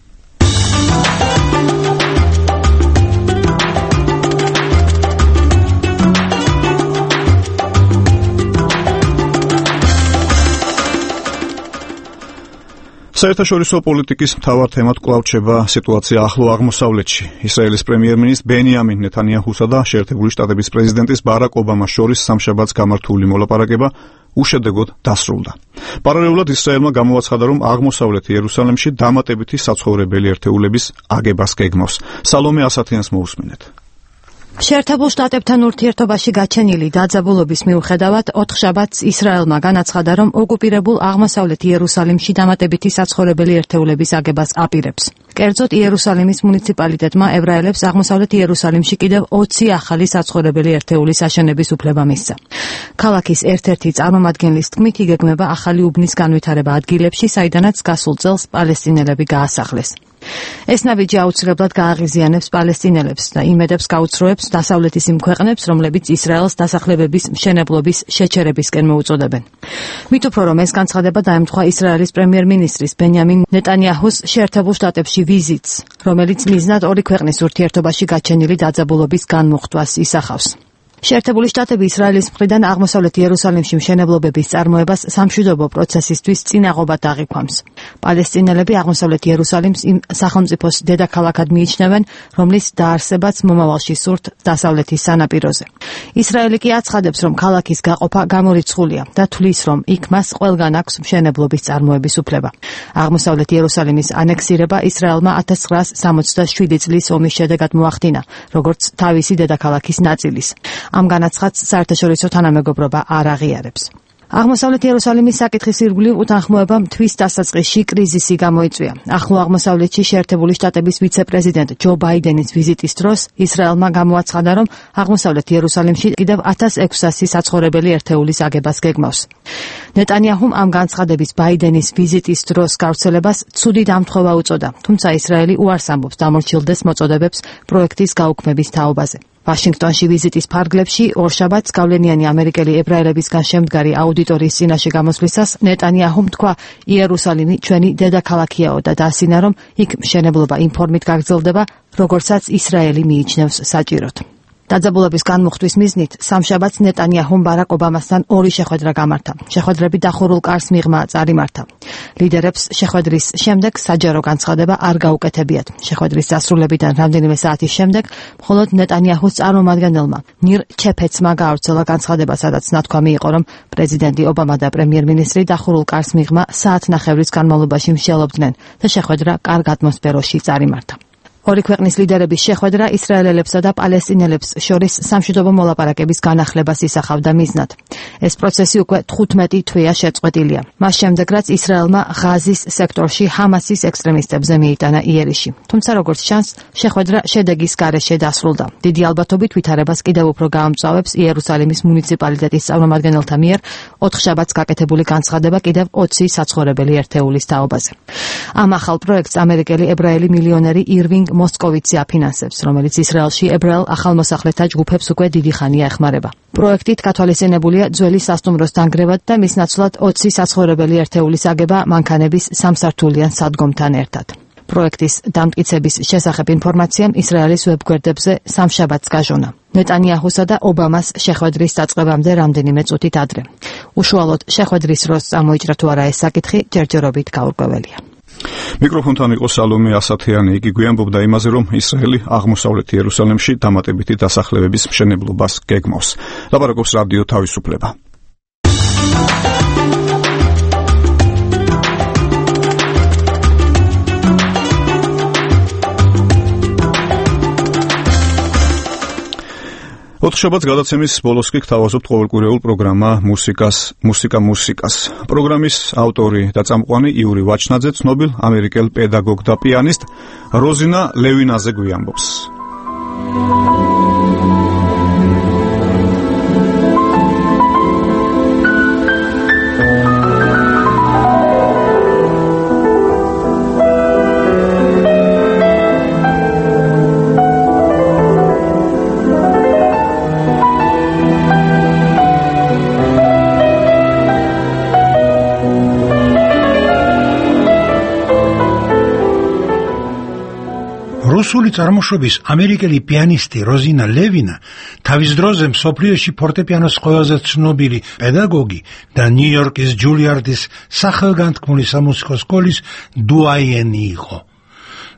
საერთაშორისო პოლიტიკის მთავარ თემად კვლავ რჩება სიტუაცია ახლო აღმოსავლეთში. ისრაელის პრემიერ-მინისტრ ბენიამინ ნეთანიაჰუსა და შეერთებული შტატების პრეზიდენტის ბარაკ ობამას შორის სამშაბათს გამართული მოლაპარაკება უშედეგოდ დასრულდა. პარალელურად ისრაელმა გამოაცხადა, რომ აღმოსავლეთ იერუსალიმში დამატებითი საცხოვრებელი ერთეულების აგებას გეგმავს. სალომე ასათიანს მოусმინეთ. შეერთებულ შტატებთან ურთიერთობაში გაჩენილი დაძაბულობის მიუხედავად ოთხშაბათს ისრაელმა განაცხადა, რომ ოკუპირებულ აღმოსავლეთ იერუსალიმში დამატებითი საცხოვრებელი ერთეულების აგებას აპირებს. კერძოდ იერუსალიმის მუნიციპალიტეტმა ებრაელებს აღმოსავლეთ იერუსალიმში კიდევ ოცი ახალი საცხოვრებელი ერთეულის აშენების უფლება მისცა. ქალაქის ერთ-ერთი წარმომადგენლის თქმით, იგეგმება ახალი უბნის განვითარება ადგილებში, საიდანაც გასულ წელს პალესტინელები გაასახლეს. ეს ნაბიჯი აუცილებლად გააღიზიანებს პალესტინელებს და იმედებს გაუცროებს დასავლეთის იმ ქვეყნებს, რომლებიც ისრაელს დასახლებების მშენებლობის შეჩერებისკენ მოუწოდებენ. მით უფრო რომ ეს განცხადება დაემთხვა ისრაელის პრემიერ-მინისტრის ბენიამინ ნეტანიაჰუს შეერთებულ შტატებში ვიზიტს, რომელიც მიზნად ორი ქვეყნის ურთიერთობაში გაჩენილი დაძაბულობის განმუხტვას ისახავს. შეერთებული შტატები ისრაელის მხრიდან აღმოსავლეთ იერუსალიმში მშენებლობების წარმოებას სამშვიდობო პროცესისთვის წინაღობად აღიქვამს. პალესტინელები აღმოსავლეთ იერუსალიმს იმ სახელმწიფოს დედაქალაქად მიიჩნევენ, რომლის დაარსებაც მომავალში სურთ დასავლეთის სანაპიროზე. ისრაელი კი აცხადებს, რომ ქალაქის გაყოფა გამორიცხულია და თვლის, რომ იქ მას ყველგან აქვს მშენებლობის წარმოების უფლება. აღმოსავლეთ იერუსალიმის ანექსირება ისრაელმა ათას ცხრაასი სამოცდაშვიდი წლის ომის შედეგად მოახდინა, როგორც თავისი დედაქალაქის ნაწილის. ამ განაცხადს საერთაშორისო თანამეგობრობა არ აღიარებს. აღმოსავლეთ იერუსალიმის საკითხის ირგვლივ უთანხმოებამ თვის დასაწყისში კრიზისი გამოიწვია. ახლო აღმოსავლეთში შეერთებული შტატების ვიცე-პრეზიდენტ ჯო ბაიდენის ვიზიტის დროს ისრაელმა გამოაცხადა, რომ აღმოსავლეთ იერუსალიმში კიდევ ათას ექვსასი საცხოვრებელი ერთეულის აგებას გეგმავს. ნეტანიაჰუმ ამ განცხადების ბაიდენის ვიზიტის დროს გავრცელებას ცუდი დამთხოვა უწოდა, თუმცა ისრაელი უარს ამბობს დამორჩილდეს მოწოდებებს პროექტის გაუქმების თაობაზე. ვაშინგტონში ვიზიტის ფარგლებში ორშაბათს გავლენიანი ამერიკელი ებრაელებისგან შემდგარი აუდიტორიის წინაშე გამოსვლისას ნეტანიაჰუმ თქვა, იერუსალიმი ჩვენი დედაქალაქიაო და დაასინა, რომ იქ მშენებლობა იმ ფორმით გაგრძელდება, როგორცაც ისრაელი მიიჩნევს საჭიროდ. დაძაბულობის განმუხტვის მიზნით სამშაბათს ნეტანიაჰუმ ბარაკ ობამასთან ორი შეხვედრა გამართა. შეხვედრები დახურულ კარს მიღმა წარიმართა. ლიდერებს შეხვედრის შემდეგ საჯარო განცხადება არ გაუკეთებიათ. შეხვედრის დასრულებიდან რამდენიმე საათის შემდეგ მხოლოდ ნეტანიაჰუს წარმომადგენელმა ნირ ჩეფეცმა გაავრცელა განცხადება, სადაც ნათქვამი იყო, რომ პრეზიდენტი ობამა და პრემიერ-მინისტრი დახურულ კარს მიღმა საათნახევრის განმავლობაში მსჯელობდნენ და შეხვედრა კარგ ატმოსფეროში წარიმართა. ორი ქვეყნის ლიდერების შეხვედრა ისრაელელებსა და პალესტინელებს შორის სამშვიდობო მოლაპარაკების განახლებას ისახავდა მიზნად. ეს პროცესი უკვე თხუთმეტი თვეა შეწყვეტილია. მას შემდეგ, რაც ისრაელმა ღაზის სექტორში ჰამასის ექსტრემისტებზე მიიტანა იერიში. თუმცა, როგორც ჩანს, შეხვედრა შედეგის გარეშე დასრულდა. დიდი ალბათობით ვითარებას კიდევ უფრო გაამწვავებს იერუსალიმის მუნიციპალიტეტის წარმომადგენელთა მიერ ოთხშაბათს გაკეთებული განცხადება კიდევ ოცი საცხოვრებელი ერთეულის თაობაზე. ამ ახალ პროექტს ამერიკელი ებრაელი მილიონერი ირვინგ მოსკოვიცი აფინანსებს, რომელიც ისრაელში ებრაელ ახალმოსახლეთა ჯგუფებს უკვე დიდი ხანია ეხმარება. პროექტით გათვალისწინებულია ძველი სასტუმროს დანგრევა და მის ნაცვლად ოცი საცხოვრებელი ერთეულის აგება მანქანების სამსართულიან სადგომთან ერთად. პროექტის დამტკიცების შესახებ ინფორმაციამ ისრაელის ვებგვერდებზე სამშაბათს გაჟონა. ნეტანიაჰუსა და ობამას შეხვედრის დაწყებამდე რამდენიმე წუთით ადრე. უშუალოდ შეხვედრის დროს წამოიჭრა თუ არა ეს საკითხი ჯერჯერობით გაურკვეველია. მიკროფონთან იყო სალომე ასათიანი. იგი გვიანბობდა იმაზე, რომ ისრაელი აღმოსავლეთ იერუსალიმში დამატებითი დასახლებების მშენებლობას გეგმავს. ლაპარაკობს რადიო თავისუფლება. ოთხშაბათს გადაცემის ბოლოს კი გთავაზობთ ყოველკვირეულ პროგრამა მუსიკას, მუსიკა მუსიკას. პროგრამის ავტორი და წამყვანი იური ვაჩნაძე ცნობილ ამერიკელ პედაგოგ და პიანისტ როზინა ლევინაზე გვიამბობს. რუსული წარმოშობის ამერიკელი პიანისტი როზინა ლევინა თავის დროზე მსოფლიოში ფორტეპიანოს ყველაზე ცნობილი პედაგოგი და ნიუ-იორკის ჯულიარდის სახელგანთქმული სამუსიკო სკოლის დუაიენი იყო.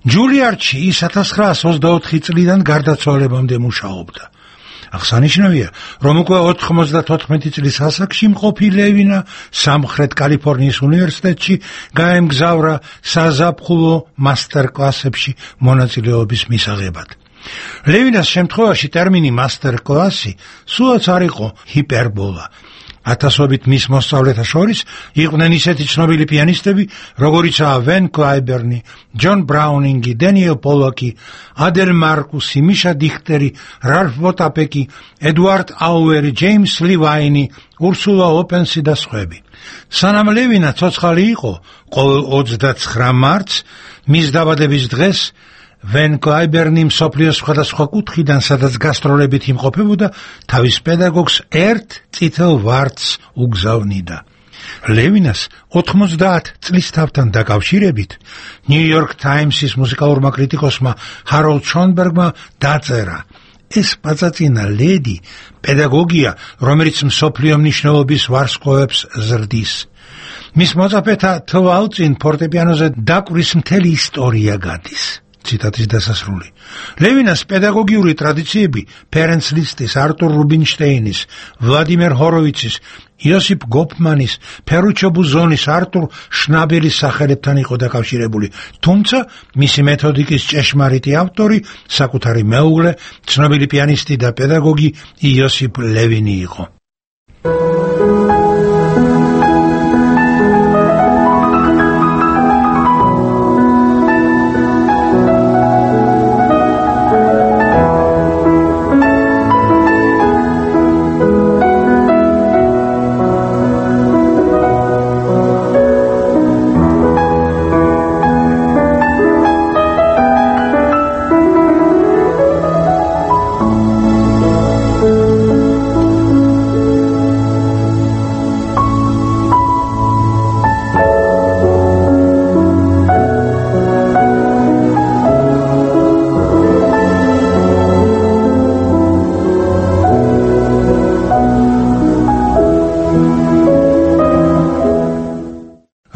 ჯულიარდში ის ათას ცხრაასი ოცდაოთხი წლიდან გარდაცვალებამდე მუშაობდა. აღსანიშნავია, რომ უკვე ოთხმოცდათოთხმეტი წლის ასაკში მყოფი ლევინა სამხრეთ კალიფორნიის უნივერსიტეტში გაემგზავრა საზაფხულო მასტერკლასებში მონაწილეობის მისაღებად. ლევინას შემთხვევაში ტერმინი მასტერ-კლასი სულაც არ იყო ჰიპერბოლა. ათასობით მის მოსწავლეთა შორის იყვნენ ისეთი ცნობილი პიანისტები, როგორიცაა ვენ კლაიბერნი, ჯონ ბრაუნინგი, დენიელ პოლოკი, ადელ მარკუსი, მიშა დიხტერი, რალფ ვოტაპეკი, ედუარდ აუერი, ჯეიმს ლივაინი, ურსულა ოპენსი და სხვები. სანამ ლევინა ცოცხალი იყო, ყოველ ოცდაცხრა მარტს, მის დაბადების დღეს, ვენ კლაიბერნი მსოფლიოს სხვადასხვა კუთხიდან, სადაც გასტროლებით იმყოფებოდა, თავის პედაგოგს ერთ წითელ ვარდს უგზავნიდა. ლევინას ოთხმოცდაათ წლის თავთან დაკავშირებით ნიუ-იორკ ტაიმსის მუსიკალურმა კრიტიკოსმა ჰაროლდ შონბერგმა დაწერა: ეს პაწაწინა ლედი პედაგოგია, რომელიც მსოფლიო მნიშვნელობის ვარსკვლავებს ზრდის. მის მოწაფეთა თვალწინ ფორტეპიანოზე დაკვრის მთელი ისტორია გადის. ციტატის დასასრული. ლევინას პედაგოგიური ტრადიციები ფერენც ლისტის, არტურ რუბინშტეინის, ვლადიმერ ჰოროვიცის, იოსიფ გოფმანის, ფერუჩო ბუზონის, არტურ შნაბელის სახელებთან იყო დაკავშირებული, თუმცა მისი მეთოდიკის ჭეშმარიტი ავტორი, საკუთარი მეუღლე, ცნობილი პიანისტი და პედაგოგი იოსიფ ლევინი იყო.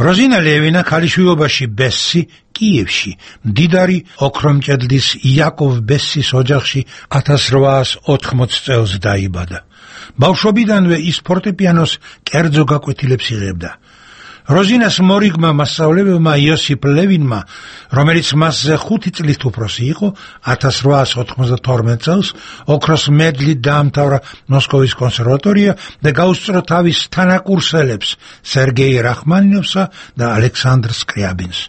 როზინა ლევინა ქალიშვილობაში ბესი კიევში, მდიდარი ოქრომჭედლის იაკოვ ბესის ოჯახში ათას რვაას ოთხმოცი წელს დაიბადა. ბავშვობიდანვე ის ფორტეპიანოს კერძო გაკვეთილებს იღებდა. როზინას მორიგმა მასწავლებელმა იოსიფ ლევინმა, რომელიც მასზე ხუთი წლით უფროსი იყო, ათას რვაას ოთხმოცდათორმეტ წელს ოქროს მედლით დაამთავრა მოსკოვის კონსერვატორია და გაუსწრო თავის თანაკურსელებს სერგეი რახმანინოვსა და ალექსანდრ სკრიაბინს.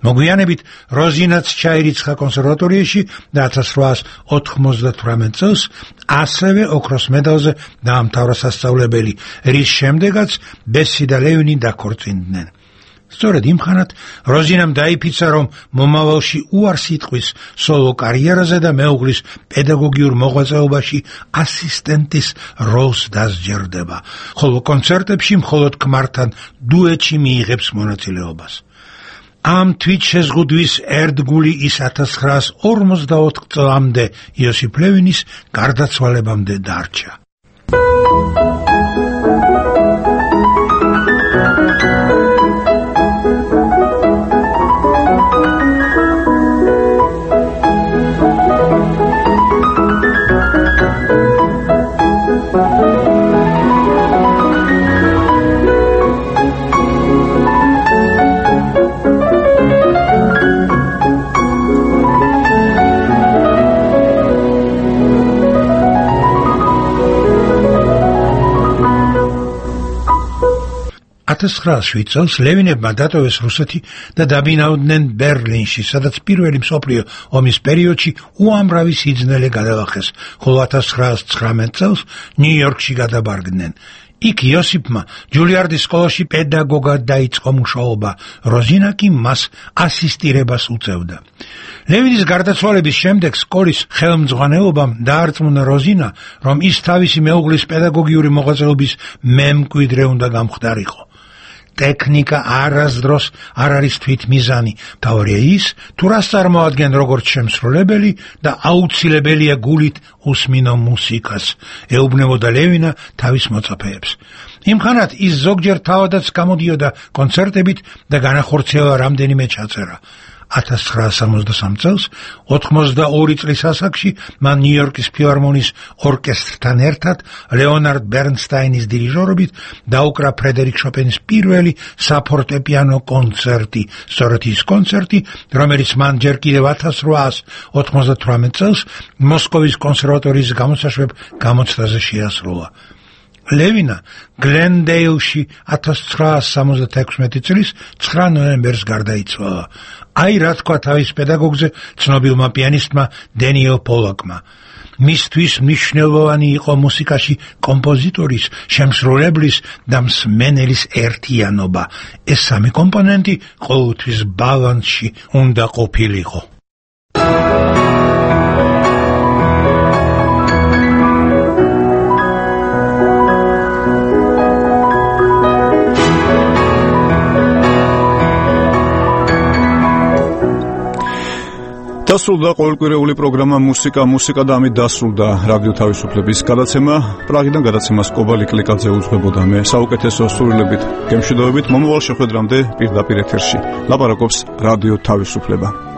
მოგვიანებით როზინაც ჩაირიცხა კონსერვატორიაში და ათას რვაას ოთხმოცდათვრამეტ წელს ასევე ოქროს მედალზე დაამთავრა სასწავლებელი, რის შემდეგაც ბესი და ლევინი დაქორწინდნენ. სწორედ იმხანად როზინამ დაიფიცა, რომ მომავალში უარს იტყვის სოლო კარიერაზე და მეუღლის პედაგოგიურ მოღვაწეობაში ასისტენტის როლს დასჯერდება, ხოლო კონცერტებში მხოლოდ ქმართან დუეტში მიიღებს მონაწილეობას. ამ თვით შეზღუდვის ერთგული ის ათას ცხრაას ორმოცდაოთხ წლამდე იოსიფ ლევინის გარდაცვალებამდე დარჩა. ათას ცხრაას შვიდ წელს ლევინებმა დატოვეს რუსეთი და დაბინაოდნენ ბერლინში, სადაც პირველი მსოფლიო ომის პერიოდში უამრავი სიძნელე გადაახეს, ხოლო ათას ცხრაას ცხრამეტ წელს ნიუ-იორკში გადაბარგდნენ. იქ იოსიფმა ჯულიარდის სკოლაში პედაგოგად დაიწყო მუშაობა, როზინა კი მას ასისტირებას უწევდა. ლევინის გარდაცვალების შემდეგ სკოლის ხელმძღვანელობამ დაარწმუნა როზინა, რომ ის თავისი მეუღლის პედაგოგიური მოღვაწეობის მემკვიდრე უნდა გამხდარიყო. ტექნიკა არასდროს არ არის თვითმიზანი, თავარია ის, თუ რას წარმოადგენს როგორც შემსრულებელი და აუცილებელია გულით უსმინო მუსიკას, ეუბნებოდა ლევინა თავის მოწაფეებს. იმხანად ის ზოგჯერ თავადაც გამოდიოდა კონცერტებით და განახორციელა რამდენიმე ჩაწერა. ათას ცხრაას სამოცდასამ წელს, ოცდაორი წლის ასაკში მან ნიუ-იორკის ფილარმონიის ორკესტრთან ერთად ლეონარდ ბერნსტაინის დირიჟორობით დაუკრა ფრედერიკ შოპენის პირველი საფორტეპიანო კონცერტი, სწორედ ის კონცერტი, რომელიც მან ჯერ კიდევ ათას რვაას ოცდათვრამეტ წელს მოსკოვის კონსერვატორიის გამოსაშვებ გამოცდაზე შეასრულა. ლევინა გლენდეილში ათას ცხრაას სამოცდათექვსმეტი წლის ცხრა ნოემბერს გარდაიცვალა. აი რა თქვა თავის პედაგოგზე ცნობილმა პიანისტმა დენიელ პოლაკმა. მისთვის მნიშვნელოვანი იყო მუსიკაში კომპოზიტორის, შემსრულებლის და მსმენელის ერთიანობა. ეს სამი კომპონენტი ყოველთვის ბალანსში უნდა ყოფილიყო. დასრულდა ყოველკვირეული პროგრამა მუსიკა მუსიკა და ამით დასრულდა რადიო თავისუფლების გადაცემა. პრაღიდან გადაცემას კობალი კლიკაძე უძღვებოდა, მე საუკეთესო სურვილებით გემშვიდობებით მომავალ შეხვედრამდე პირდაპირ ეთერში ლაპარაკობს რადიო თავისუფლება.